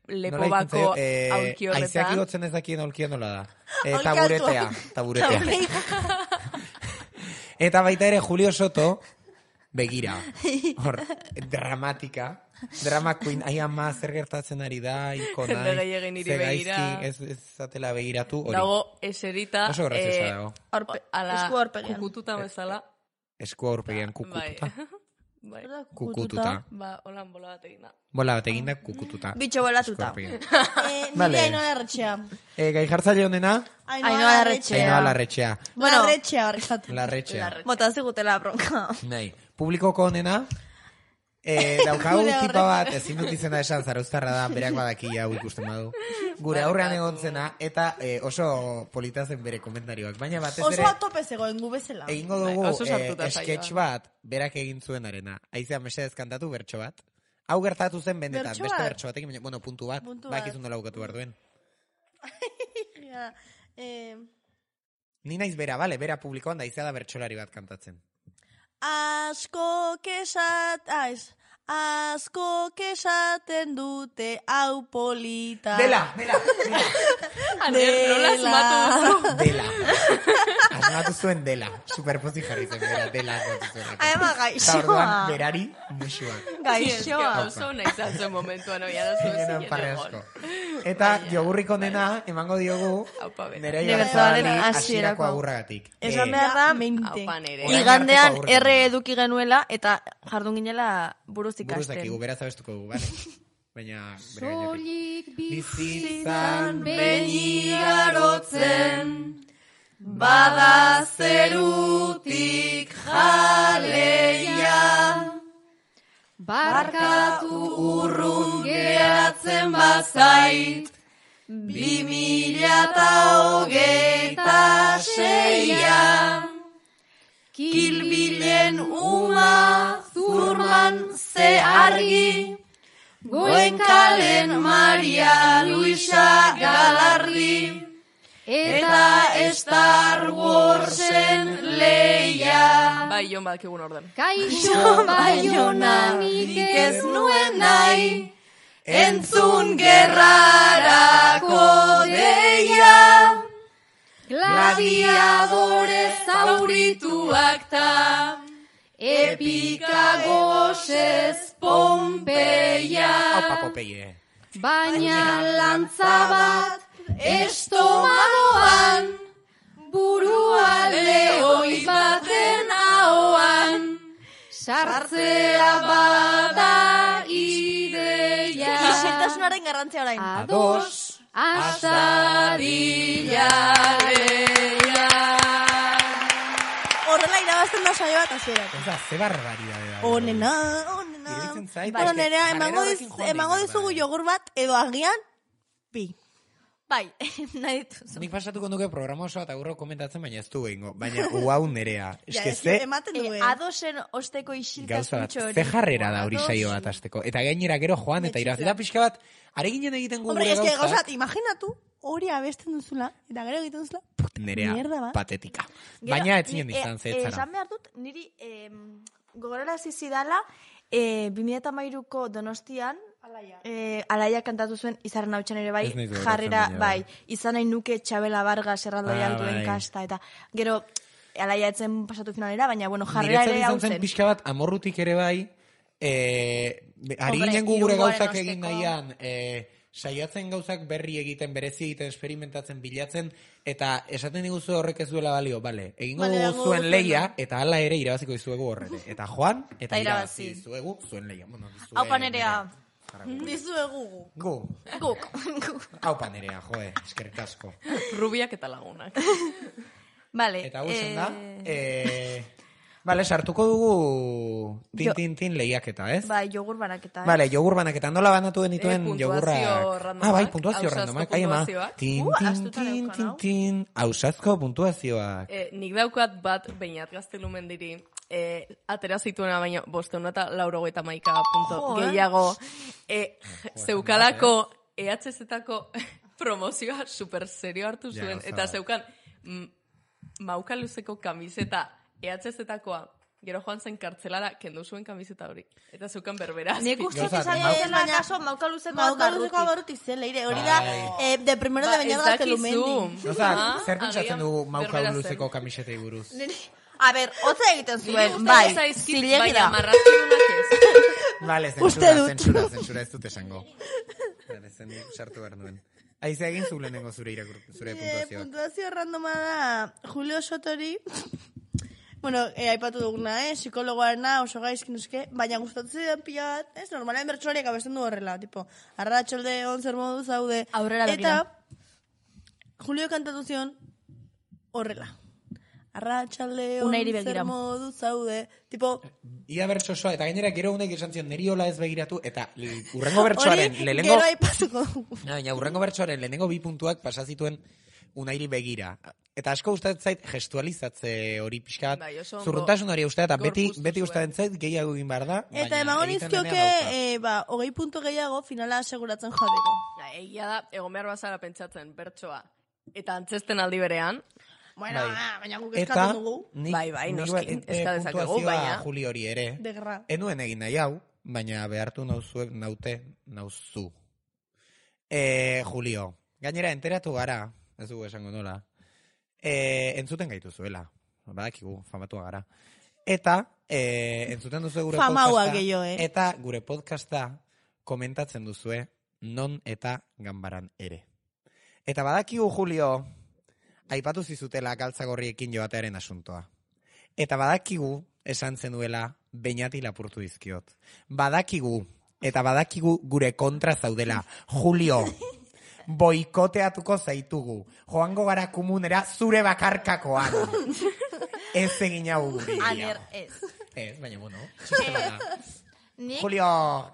lepo bako aulki horretan. Aizeak igotzen ez dakien aulkia nola da. Taburetea. Eta baita ere, Julio Soto, begira, hor, dramatika, drama queen, ai ama zer gertatzen ari da, ikonai, zegaizki, ez zatela begiratu, hori. Dago, eserita, oso graziosa dago. Esku aurpegian. Kukututa bezala. Esku aurpegian kukututa. Bai. Kukututa. Ba, holan bola bat egin da. Bola bat egin da, kukututa. Bitxo bolatuta. Nire Ainoa Larretxea. Gai jartzaile honena? Ainoa Larretxea. Bueno, Larretxea. Bota zigutela bronka. Nahi. Publikoko honena, daukagu tipa bat, ezin dut izena esan, Zarauztarra da, berak badaki hau ikusten badu. Gure aurrean egontzena, eta oso politazen bere komentarioak. Baina batez ere... Oso atope zegoen gu bezala. Egingo dugu sketch bat, berak egin zuen arena. Aizea mesedez kantatu bertso bat. Hau gertatu zen benetan, beste bertso batekin, bueno, puntu bat. Bakizun dola bukatu behar duen. Ni naiz bera, bale, bera publikoan da, aizea da bertsolari bat kantatzen. Asko kesaten dute hau polita. Dela. Nola asmatu. Dela. Asmatu zuen dela. Superpozi jarri zen, dela asmatu zuen. Adema gaixoa. Eta orduan, berari, musua. Gaixoa. Oso nahi zantzuen momentuan, oia da zuen zinetan. Eta jogurriko nena emango diogu nire jartzaren hasierako agurragatik. Esan behar da, igandean erre eduki genuela eta jardun ginela buruz ikasten. Buruz dakigu, beraz abestuko dugu, bale? Baina... Soilik bizitzan benigarotzen bada zerutik jaleia. Barkatu urrun geratzen bazait, 2026. Kilbilen uma zurman ze argi, Goenkalen Maria Luisa Galardi, eta Star Warsen leia. Bai, jon badakigun orden. Kaixo Baiona nik ez nuen nahi, entzun gerrarako deia. Gladiadore zaurituak ta, epika gozez Pompeia. Aupa Pompeie. Baina lantza bat estomanoan, burua lehoi baten ahoan, sartzea bada ideia. Isiltasunaren garrantzia orain. Ados, astarila leia. Horrela irabazten da saio bat hasierak. Ez da, ze barbaridade da. Onena. Iruditzen zait. Bueno, nerea, emango dizugu jogur bat, edo agian, bi. Bai, nahi dituzu. Nik pasatuko nuke programa oso eta gurro komentatzen, baina ez du egingo. Baina, uau nerea. Adosen osteko isiltasun txori. Ze jarrera da hori saio bat azteko. Eta gainera gero joan, eta irabazita pixka bat, areginen egiten gure gauzak. Hombre, gauzat, imaginatu, hori abesten duzula, eta gero egiten duzula, nerea, patetika. Baina ez zinen izan zetzara. Esan behar dut, niri gogorara zizidala, 2013ko Donostian, Alaia kantatu zuen izarren hautsan ere bai, jarrera, bai, izan nahi nuke Txabela Vargas erraldoi alduen kasta, eta gero Alaia etzen pasatu finalera, baina bueno, jarrera ere hau zen. Niretzat izan zen pixka bat, amorrutik ere bai, ari ginen gure gauzak egin nahian, saiatzen gauzak berri egiten, berezi egiten, experimentatzen, bilatzen, eta esaten diguzu horrek ez duela balio, bale, egingo dugu zuen leia, eta hala ere irabaziko dizuegu horrere. Eta joan, eta irabazi dizuegu zuen leia. Haupa nerea. Dizuegu guk. Haupa nerea, joe, eskerrik asko. Rubiak eta lagunak. Vale. Eta guzen da, vale, sartuko dugu tin lehiaketa, ez? Bai, jogur banaketa. Vale, jogur banaketa. Nola banatu denituen jogurrak? Bai, puntuazio randomak. Tin. Ausazko puntuazioak. Nik daukat bat, bainat gaztelumen diri, atera zituena baina 581 punto gehiago zeukalako EHZ-etako promozioa super serio hartu zuen, eta zeukan mauka luzeko kamiseta EHZ-etakoa, gero joan zen kartzelara kendu zuen kamiseta hori. Eta zeukan berbera. Nik uste izan dela kaso mauka luzeko abarruti zen, leire. Hori da, de primero de bainat gaztelumendi. Zer pentsatzen dugu mauka luzeko kamisetei buruz? A ber, hotza egiten zuen, bai, zilegi da. Vale, zentsura ez dut esango. Zen sartu behar nuen. Aize egin zu lehenengo zure puntuazioak. Puntuazio randoma da Julio Sotori. Bueno, aipatu duguna, psikologoarena, oso gaizkin uzke, baina gustatu zidan pila bat, normalen bertsolariak abesten du horrela, tipo, arratxolde, onzer modu zaude. Aurrera begira. Eta, Julio kantatu zion horrela. Arratxalde, onzer modu zaude, tipo... Ia bertsosoa, eta gainera gero unek esan zion, neri hola ez begiratu, eta urrengo bertsoaren lehenengo... Gero aipatuko dugu. Baina urrengo bertsoaren lehenengo 2 puntuak pasazituen unairi begira. Eta asko usteet zait gestualizatze hori pixkat, zurruntasun hori usteet, eta beti usteet zait gehiago egin behar da. Eta emango nizkioke, 20 puntu gehiago finala aseguratzen jateko. Egia da, egon behar bazara pentsatzen bertsoa, eta antzesten aldi berean. Bueno, baina guk eskatu dugu. Bai, noski, eskadezakegu, baina. Juli hori ere. Enuen egin nahi hau, baina behartu nauzu. Julio, gainera enteratu gara, ez dugu esango nola, entzuten gaitu zuela, badakigu, famatua gara. Eta, entzuten duzu gure podcasta, eta gure podcasta komentatzen duzue, non eta ganbaran ere. Eta badakigu, Julio, aipatu zizutela galtzagorriekin joatearen asuntoa. Eta badakigu, esan zenuela, Beñati lapurtu dizkiot. Badakigu gure kontra zaudela. Julio, boikoteatuko zaitugu. Joango gara komunera zure bakarkakoan. Ez egin hau guri. Aner, ez. Ez, baina, bueno, txiste bada. Nik? Julio,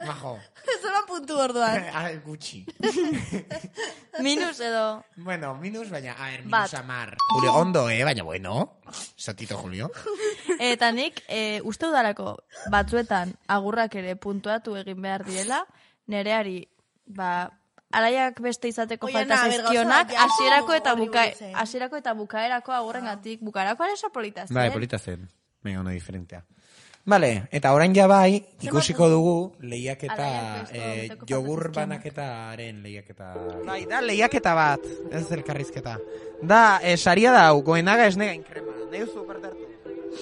majo. Zoran puntu orduan. Gutxi. Minus edo... Bueno, minus, baina, minus amar. Julio, ondo, baina, bueno. Satito, Julio. Eta nik, uste udarako batzuetan agurrak ere puntuatu egin behar direla, nereari, alaiak beste izateko falta zaizkionak, hasierako eta bukaerako agurrengatik, bukaerako ere polita zen. Bai, polita zen. Venga, una diferentea. Vale, eta orain ja bai, ikusiko dugu lehiaketa, jogur banaketaren lehiaketa. Bai, da lehiaketa bat, ez elkarrizketa. Da, saria da, goenaga esnega inkrema. Neu supertartu.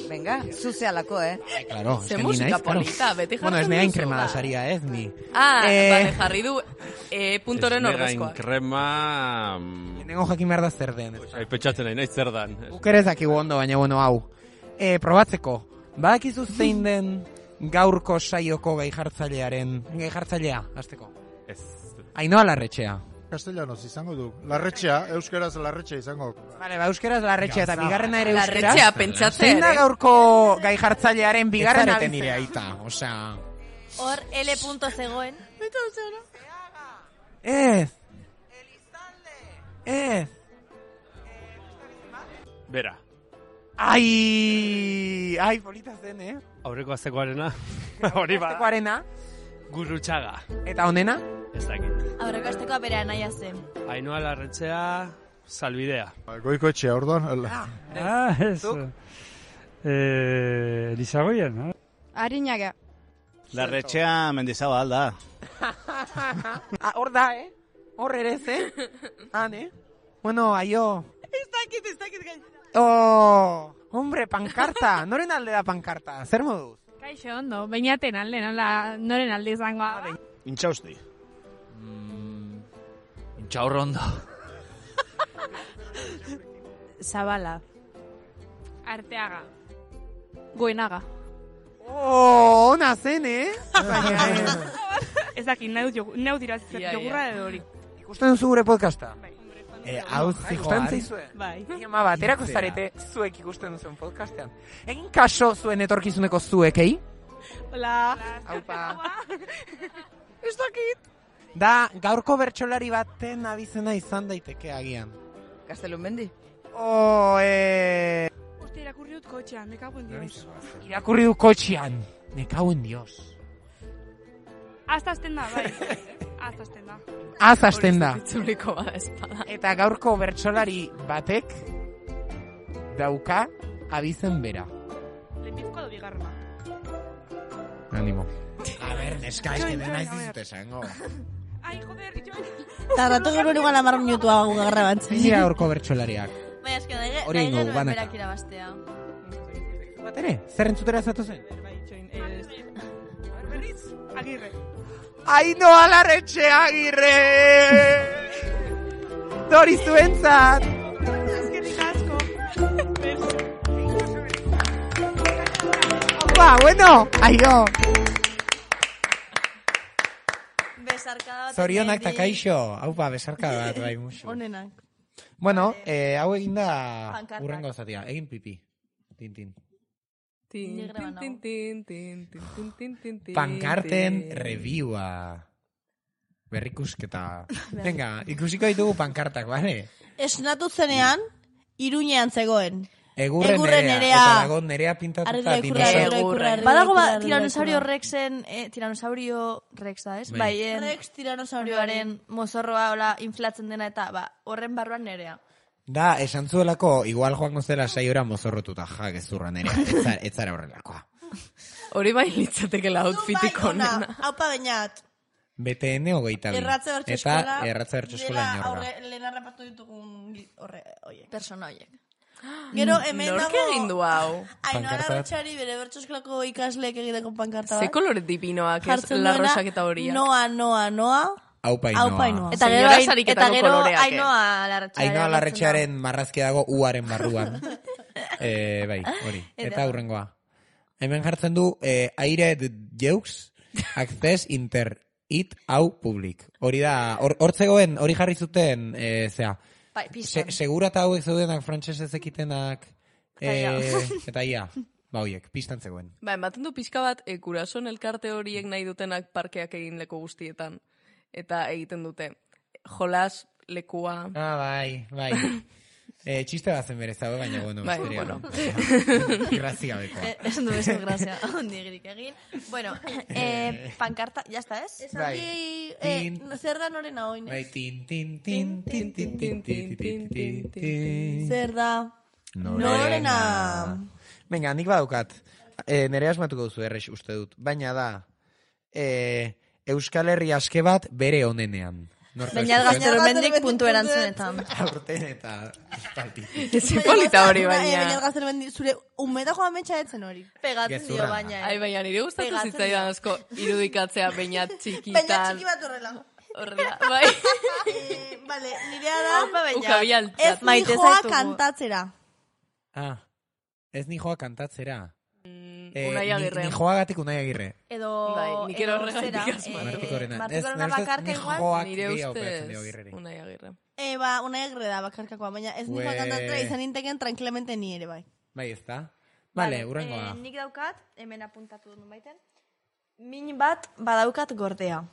Venga, zuzealako, Claro, ze musika polita, beti jartzen duzu. Bueno, esnega inkrema da saria, ez ni. Bale, jarri du puntoren ordezkoa. Esnega inkrema... Nengo jakin behar da zer den. Petxatzen nahi, nahi zer dan. Bukerez dakigu ondo, baina bueno, hau. Probatzeko. Badakizu zein den gaurko saioko gaijartzailea, hasteko? Ez. Ainhoa Larretxea. Castellanos izango du. Larretxea, euskeraz Larretxea izango. Vale, euskeraz Larretxea eta bigarrena ere euskeraz. Larretxea pentsatzen. Zein da gaurko gaijartzailearen bigarrena aldiz? Ez nire aita, osea... Hor, L punto zegoen. Ez. Ez. Bera. Ai, polita zen, Aurreko astekoarena. Hori ba. Astekoarena. Gurrutxaga. Eta honena? Ez dakit. Aurreko astekoa bere anaia zen. Ainhoa Larretxea, Salbidea. Goiko etxea, orduan. Ez. Lizagoien, no? Arinaga. Larretxea Mendizabal da. Hor da, Hor ere, Bueno, aio. Ez dakit gain. Oh, hombre, pankarta. Noren alde da pankarta? Zer moduz? Kaixo, ondo. Bainaten alde, noren alde izangoa. Intxausti. Intxaurro ondo. Zabala. Arteaga. Goenaga. Oh, ona zen, Ez dakit, neu dira jogurra edo hori. Ikusten duzu gure podcasta? Hau zijoan. Bai. Ama bat, erako zarete zuek ikusten duzuen podcastean. Egin kaso zuen etorkizuneko zuekei? Hola. Aupa. Ez dakit. Da, gaurko bertsolari baten abizena izan daiteke agian. Gaztelumendi. Uste, irakurri dut kotxean, me cago en Dios. Irakurri dut kotxean, me cago en Dios. Aztazten da, bai. Aztazten da. Aztazten da. Eta gaurko bertsolari batek dauka abizen bera. Lehenbizko edo bigarrena. Animo. A ver, neska, es que dena ez dizute esango. Ai, joder, joan. Tarratu gero igual 10 minutu hau garra batzen. Zira gaurko bertsolariak. Bai, eske da, hori ingo, banaka. Berak irabastea. Batere, zer entzutera zatu zen? Bai, join, berriz, Agirre. Ainhoa Larretxea Agirre! Dori zuentzat! Eskerrik asko. Opa, bueno, aio! Besarkada bat. Zorionak eta kaixo. Haupa, besarkada bat, bai, musu. Honenak. Bueno, hau egin da urrengo zatia. Egin pipi. Tintin. Pankarten reviewa. Berrikusketa. Venga, ikusiko ditugu pankartak, bale? Esnatu zenean, Iruñean zegoen. Egurren nerea. Eta dago nerea pintatuta dinosaurio. Badago tiranosaurio rexen, tiranosaurio rex da, ez? Bai, rex tiranosauroaren mozorroa hola inflatzen dena eta horren barruan nerea. Da, esan zuelako, igual joango zela saiora mozorrotuta, gezurra nerea, ez zara horrelakoa. Hori bai litzatekela outfitik onena. Haupa bainat. BTN 22. Erratze bertso eskola. Eta erratze bertso eskola inorga. Lehen arrapatu ditugun persona horiek. Gero, hemen dago... Nork egin du hau? Ainhoa Larretxeari bere bertso eskolako ikasleek egiteko pankarta bat. Ze kolore dipinoak ez la rosak eta horiak. Noa. Aupa Ainhoa. Eta gero Ainhoa Larretxearen marrazkia dago uaren barruan. Bai, hori. Eta hurrengoa. Hemen jartzen du aire jeux access It hau publik. Hori da, hortzegoen, hori jarri zuten, zea, segura eta hauek zeudenak frantsesez ekitenak, eta ia, hoiek, pistan zegoen. Ematen du pixka bat, Kurason elkarte horiek nahi dutenak parkeak egin leku guztietan, eta egiten dute, jolas, lekua... Bai. Txiste bat zen berez hau, baina, bueno, grazia beko. Ez du grazia, ondigirik egin. Bueno, pankarta, jazta ez? Zer da norena hoi, Bai, zer da norena. Venga, nik badaukat. Nere asmatuko duzu errex uste dut. Baina da, Euskal Herri aske bat bere onenean. Baina Gaztelumendik puntu erantzunetan. Aurten eta espalti. Zipolita hori baina. Baina Gaztelumendik, zure umeta joan metxa etzen hori. Pegatzen dio baina. Ai, baina nire gustatu zitzaidan asko irudikatzea baina txikitan. Baina txiki bat horrela. Horrela, bai. Vale, nirea da. Ukabial. Ez nijoa kantatzera. Ez nijoa kantatzera. Unai Agirre. Nijoagatik Unai Agirre. Edo nik horregatik asma. Martikorena bakarka igual. Nire ustez Unai Agirre. Unai Agirre da bakarkakoa, baina ez nijoa kantatzera izan inteken tranquilamente ni ere bai. Bai, ez da? Vale, urrengoa. Nik daukat, hemen apuntatu dut baiten, min bat badaukat gordea.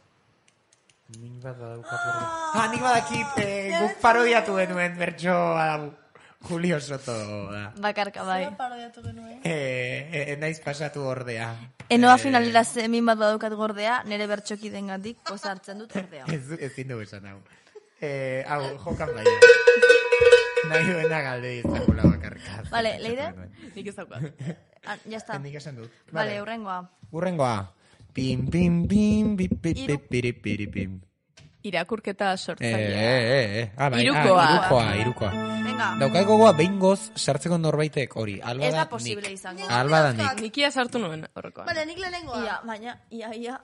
Min bat badaukat gordea. Nik badakit guk parodiatu genuen bertso hau. Julio Soto da. Bakarka, bai. Zer parodiatu genuen? Naiz pasatu ordea. Enoa finalera min bat badaukat gordea, nire bertxoki dengatik posartzen dut ordea. Ez zindu esan hau. Hau, jokan baina. Nahi duena galde izakula bakarka. Vale, Leire? Nik ez daukat. Ya está. Nik esan dut. Vale, urrengoa. Pim, pim, pim, pim. Irakurketa sortzailea. Irukoa. Daukat gogoa behingoz sartzeko norbaitek hori. Ez da posible izango. Alba da nik. Nikia sartu nuen horrekoan. Bale, nik lehenengoa. Ia, baina, ia.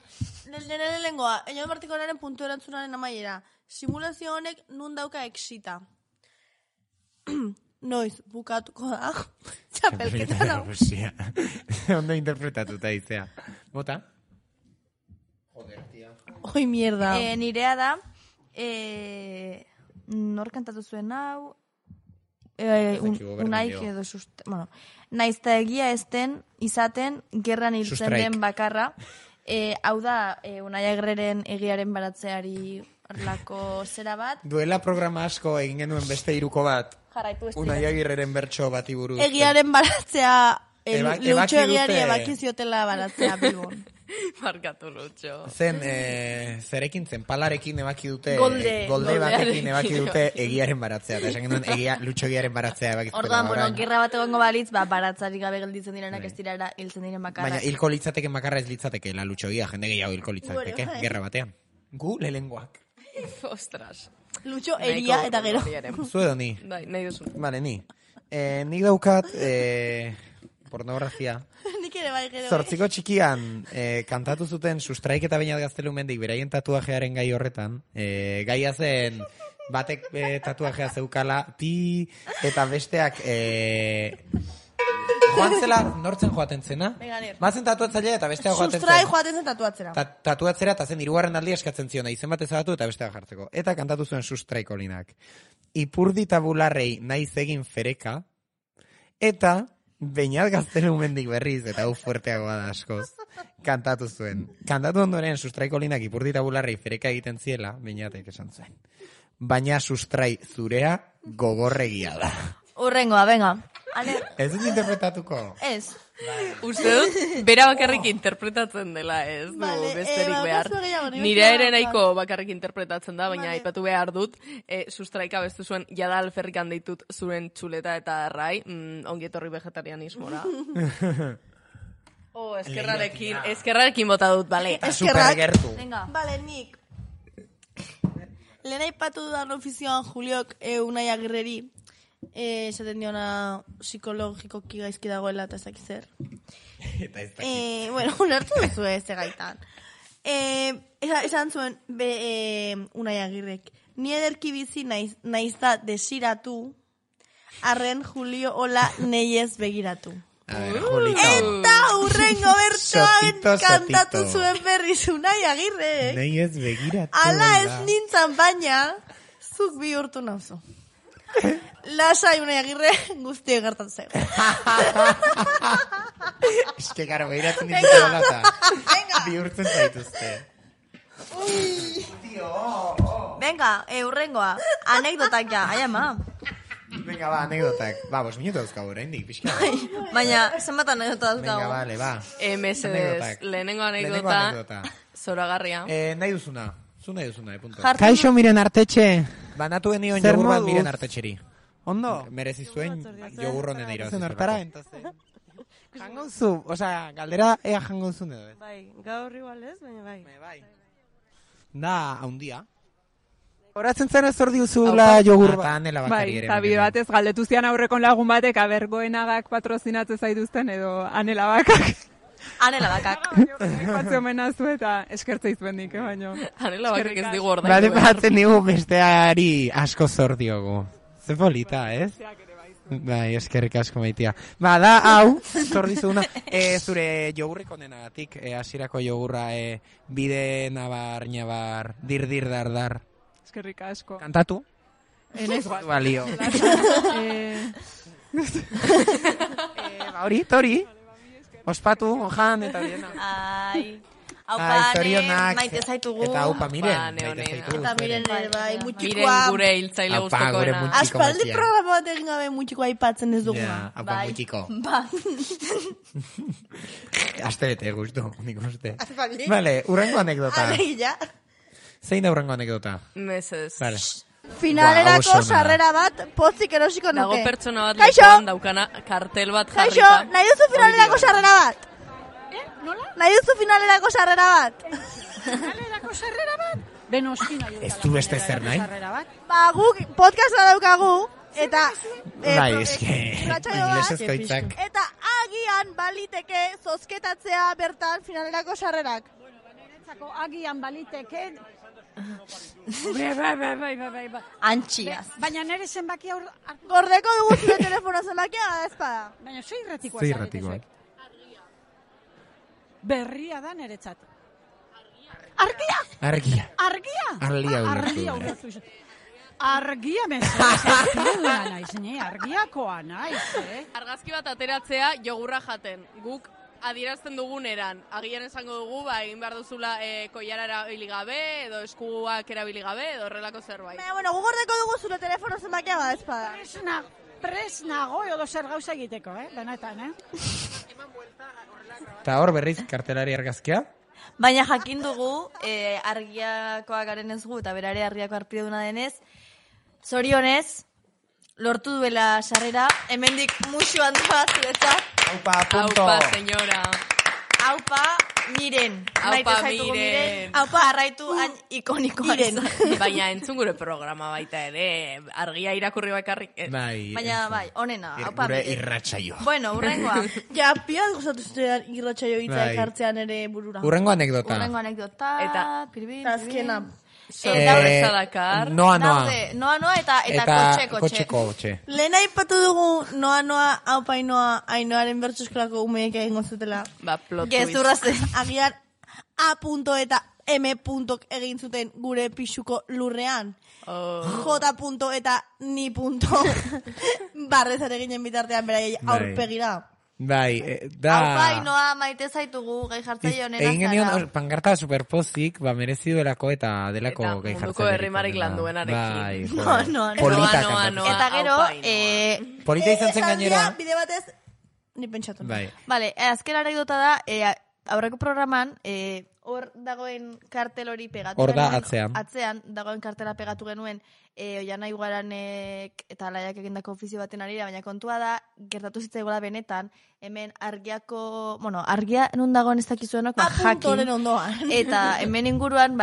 Lehenengoa, Eñodo Martikoraren puntu erantzunaren amaiera. Simulazio honek nun dauka exita. Noiz, bukatuko da. Txapelketa da. Ondo interpretatuta izea. Bota? Joder, tia. Oi, mierda. Nirea da, nor kantatu zuen hau, Unai edo bueno, naizta egia ezten, izaten, gerran hiltzen den bakarra, hau da, Unai Agirreren egiaren baratzeari lako zera bat. Duela programa asko egin genuen beste iruko bat, Unai Agirreren bertso bati buruz. Egiaren baratzea, Lutxo egiari ebakiziotela baratzea Bilbon. Markatu Lutxo. Zen, zerekin zen, palarekin ebaki dute, golde batekin ebaki dute egiaren baratzea. Eta esan genuen Lutxo egiaren baratzea ebakiziotela. Orduan, bueno, gerra bat egongo balitz, baratzarik gabe gelditzen direnak ez dirara hiltzen diren bakarra. Baina hilko litzateken bakarra ez litzateke, la Lutxo egia, jende gehiago hilko litzateke, gerra batean. Gu lehengoak. Ostras. Lutxo eria eta gero. Zuedo ni. Bai, nahi duzu. Vale, ni. Nik daukat, pornografia. Nik ere bai gero. Zortziko txikian kantatu zuten Sustraik eta Beñat Gaztelumendik beraien tatuajearen gai horretan. Gaia zen batek tatuajea zeukala eta besteak joan zela nortzen joaten zena. Bazen tatuatzailea eta besteak joaten zen. Sustrai joaten zen tatuatzera. Tatuatzera eta zen 3. aldia eskatzen ziona izen bat ezabatu eta besteak jartzeko. Eta kantatu zuen Sustraik olinak. Ipurdi tabularrei naiz egin fereka eta Beñat Gaztelumendik berriz, eta hau fuerteagoa da askoz, kantatu zuen. Kantatu ondoren Sustraiko linak ipurdi tabularrei fereka egiten ziela, Beñatek esan zuen. Baina Sustrai zurea gogorregia da. Urrengoa, venga. Ez dut interpretatuko? Ez. Uste dut, bera bakarrik interpretatzen dela, ez du besterik behar. Nire ere nahiko bakarrik interpretatzen da, baina aipatu behar dut, Sustraika bestu zuen, jada alferrikan deitut zuren txuleta eta arrai, ongietorri vegetarianismora. Eskerrarekin bota dut, bale. Supergertu. Bale, nik. Lehen aipatu dudan ofizioan Juliok Unai Agirreri, esaten diona psikologikoki gaizki dagoela eta ezak zer. Bueno, unertu duzu ez egaitan. Esan zuen Unai Agirrek, ni ederki bizi naiz da desiratu, arren Julio hola neiez begiratu. Julito. Eta urrengo bertsoan kantatu zuen berriz Unai Agirre. Nei ez begiratu. Ala ez nintzan baina, zuk bihurtu nauzu. Lasai Unai Agirre guztiek gertatu zego. Eske, karo, behiratzen dituzte dolata. Bihurtzen zaituzte. Venga, urrengoa. Anekdotak ja, ai ama. Venga, ba, anekdotak. Ba, 5 minutu dauzkagu, oraindik, pixka. Baina, zenbat anekdota dauzkagu. Venga, bale, ba. Mesedes, lehenengo anekdota. Zoragarria. Nahi duzuna. Zu nahi duzuna, punto. Kaixo Miren Artetxe. Banatu enion jogur bat Miren Artetxeri. Ondo? Merezi zuen jogur honen irabazi. Hortara, entonces. Jangonzu, osea, galdera ea jangonzu edo, ez? Bai, gaur igual ez, baina bai. Bai. Da, haundia. Horatzen zen ez ordi uzula jogur bat. Bai, eta bide batez galdetu zian aurrekon lagun batek abergoenagak patrozinatzen zaituzten edo Anela Bakak. Anela Bakak. Batze omenazu eta eskertze izbendik, baino. Anela Bakak ez digu ordaindu. Bale, batzen digu besteari asko zor diogu. Ze polita, ez? Bai, eskerrik asko maitia. Ba, da, hau, zor dizuguna, zure jogurrik onenagatik, hasierako jogurra, bide nabar, dir, dar. Eskerrik asko. Kantatu? Enez bat. Balio. Hori, tori. Ospatu, jan, eta biena. Ai, zorionak. Maite zaitugu. Eta haupa Miren. Eta Miren ere, bai, mutxikoa. Miren gure hiltzaile guztokoena. Aspaldi programa bat egin gabe mutxikoa aipatzen ez duguna. Haupa mutxiko. Ba. Asterete guztu, nik uste. Aspaldi. Vale, urrengo anekdota. Alegia. Zein da urrengo anekdota? Meses. Vale. Finalerako sarrera bat pozik erosiko nuke. Dago pertsona bat lekuan daukana kartel bat jarrita. Kaixo, nahi duzu finalerako sarrera bat? Nola? Nahi duzu finalerako sarrera bat? Finalerako sarrera bat? Benoski nahi duzu. Ez du beste zer nahi? Ba, guk podcasta daukagu, eta... Bai, eske... Inglesezko hitzak. Eta agian baliteke zozketatzea bertan finalerako sarrerak. Agian baliteke... Bai. Antxiaz. Baina nire zenbaki aur... Gordeko dugu zure telefono zenbakia da ezpada. Baina zo irratikoa. Zo irratikoa. Berria da niretzat. Argia. Argia mesedez. Argiakoa naiz, Argazki bat ateratzea jogurra jaten. Guk adierazten duguneran, agian esango dugu, egin behar duzula koilara erabili gabe, edo eskuak erabili gabe, edo horrelako zerbait. Bueno, gugordeko dugu zure telefono zenbakia bada ezpada. Presnago edo zer gauza egiteko, benetan, Eta hor berriz kartelari argazkia? Baina jakin dugu, argiakoa garen ez gu, eta berare argiako arpide duna denez, zorionez, lortu duela sarrera, hemendik musu handia zuretzat. Aupa, punto. Aupa, señora. Aupa, Miren. Aupa, Miren. Aupa, arraitu ikonikoa Miren. Baina entzun gure programa baita ere, argia irakurri bakarrik. Baina, bai, onena. Aupa, Miren. Gure irratsaio. Bueno, urrengoa. Ja, pia gustatu zuten irratsaio hitza ekartzean ere burura. Urrengo anekdota. Eta, azkena. Sorpresa dakar. Noa eta kotxe. Lehen aipatu dugu noa, aupa ainoaren bertsuskolako umeek egingo zutela. Ba, plot twist. Gezurra zen, agian A. eta M. egin zuten gure pixuko lurrean. J. eta ni. Barrezat eginen bitartean beraiei aurpegira. Bai, da... Aupa, Ainoa, maite zaitugu gai jartzaile honena zara. Egin genion pankarta superpozik, merezi duelako eta delako gai jartzaile. Eta munduko herrimarik landuenarekin. Bai, polita kantatu. Eta gero... Polita izan zen gainera. Bide batez, ni pentsatu. Bai. Vale, azken anekdota da, aurreko programan, hor dagoen kartel hori pegatu genuen. Hor da, atzean. Atzean, dagoen kartela pegatu genuen, Oiana Igaranek eta Laiak egindako ofizio baten arira, baina kontua da, gertatu zitzaigola benetan, hemen argiako, argia nun dagoen ez dakizuenok, jakin. Ondoan. Eta hemen inguruan,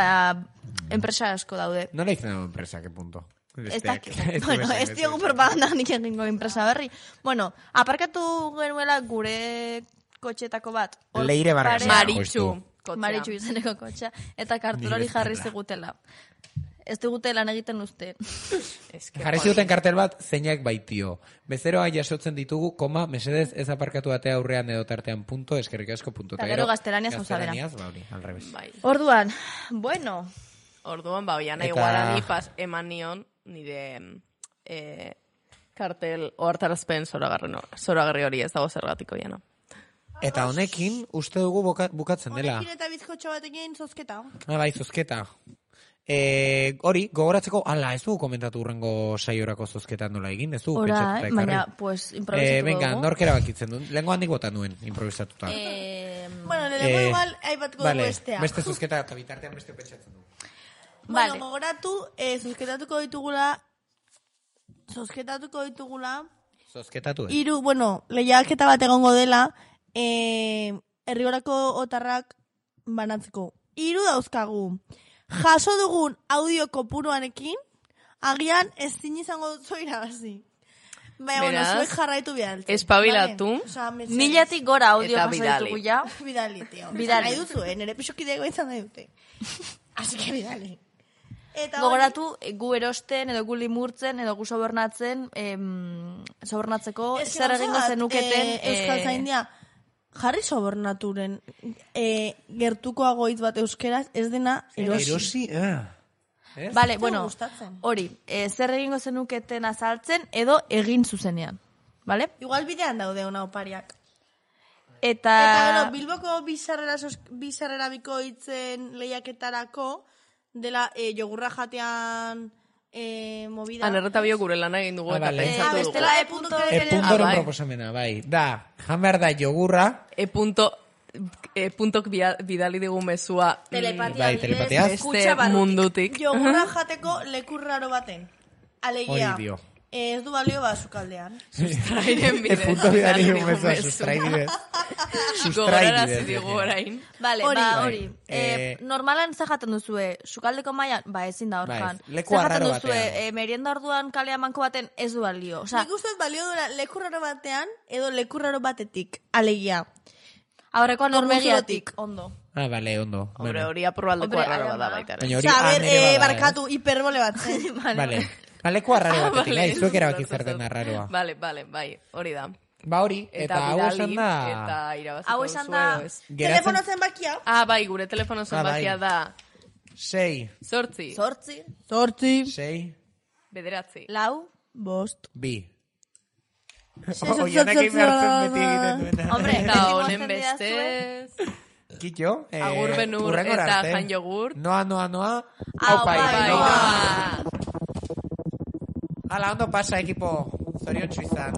enpresa asko daude. Nola izan dago enpresa, ke punto? Ez dakit. Ez diogu propaganda nik egingo enpresa berri. Aparkatu genuela gure kotxetako bat. Leire Barras. Maritxu. Maritxu izeneko kotxa. Eta kartel hori jarri zigutela. Ez digute lan egiten uste. Jarri zuten kartel bat, zeinak baitio. Bezeroa jasotzen ditugu, koma, mesedez ez aparkatu atea aurrean edo tartean punto, eskerrik asko punto. Eta gero gaztelaniaz gozabera. Al revés. Orduan, bueno. Orduan, oian, igual pas eman nion, nire kartel ohartarazpen zoragarri hori ez dago zergatiko jana. Eta honekin, uste dugu bukatzen dela. Honekin eta bizkotxo batekin zozketa. Bai, zozketa. Hori, gogoratzeko, ez dugu komentatu urrengo saiorako zozketa nola egin, ez dugu pentsatuta ekarri. Baina, pues, improvisatu venga, norkera bakitzen du. Lengo handik bota nuen, improvisatuta. Bueno, lengo igual, aipatuko dugu bestea. Beste zozketa eta bitartean beste pentsatzen du. Bueno, gogoratu, zozketatuko ditugula. Zozketatu, lehiaketa bat egongo dela, herrigorako otarrak banatzeko. 3 dauzkagu. Jaso dugun audio kopuruanekin, agian ezin izango dutzu irabazi. Baina, zuek jarraitu bidal. Espabilatu. 1000 gora audio jaso ditugu ja. Bidali, tio. Bidali. Nahi duzu, nire pisokidego izan nahi dute. Así que bidali. Gogoratu, gu erosten, edo gu limurtzen, edo gu sobornatzeko zer egingo zenuketen. Euskal Zaindia, jarri sobornaturen gertukoago hitz bat euskeraz, ez dena erosi. Erosi, Vale, bueno, hori, zer egingo zenuketen azaltzen, edo egin zuzenean. Vale? Igual bidean daude ona opariak. Eta Bilboko bizarrera bikoitzen lehiaketarako, dela jogurra jatean movida. Anerreta bio gure lan egin dugu eta pentsatu dugu. Bestela E.ren proposamena, bai. Da, jan behar da jogurra. E.tok bidali digu mezua. Telepatiaz. Beste mundutik. Jogurra jateko lekurraro baten. Alegia. Hori dio. Ez du balio sukaldean. Sustrairen bidez. Bidali digu mezua, sustraibidez. Gogorarazi digu orain. Vale, hori. Normalan ze jaten duzue, sukaldeko mailan, ezin da horjan. Leku arraro batean. Ze jaten duzue, merienda orduan kalea manko baten ez du balio. Nik ustez balio duela leku raro batean, edo leku raro batetik, alegia. Aurrekoan normegiatik, ondo. Vale, ondo. Hori aprobaldeko arraro bada baita. Barkatu, hiperbole bat. Vale. Leku arraro batetik, zuek erabaki zer den arraroa. Vale, bai, hori da. Hori, eta hau esan da... Eta irabaziko hau esan da... Telefono zenbakia? Bai, gure telefono zenbakia da... 6. 8. 6. 6. 9. 4. 5. 2. Hombre, eta honen bestez... Kitxo, Agur Benur eta Jan Jogur. Noa. Aupa, Hala, ondo pasa, ekipo. Zoriontsu izan.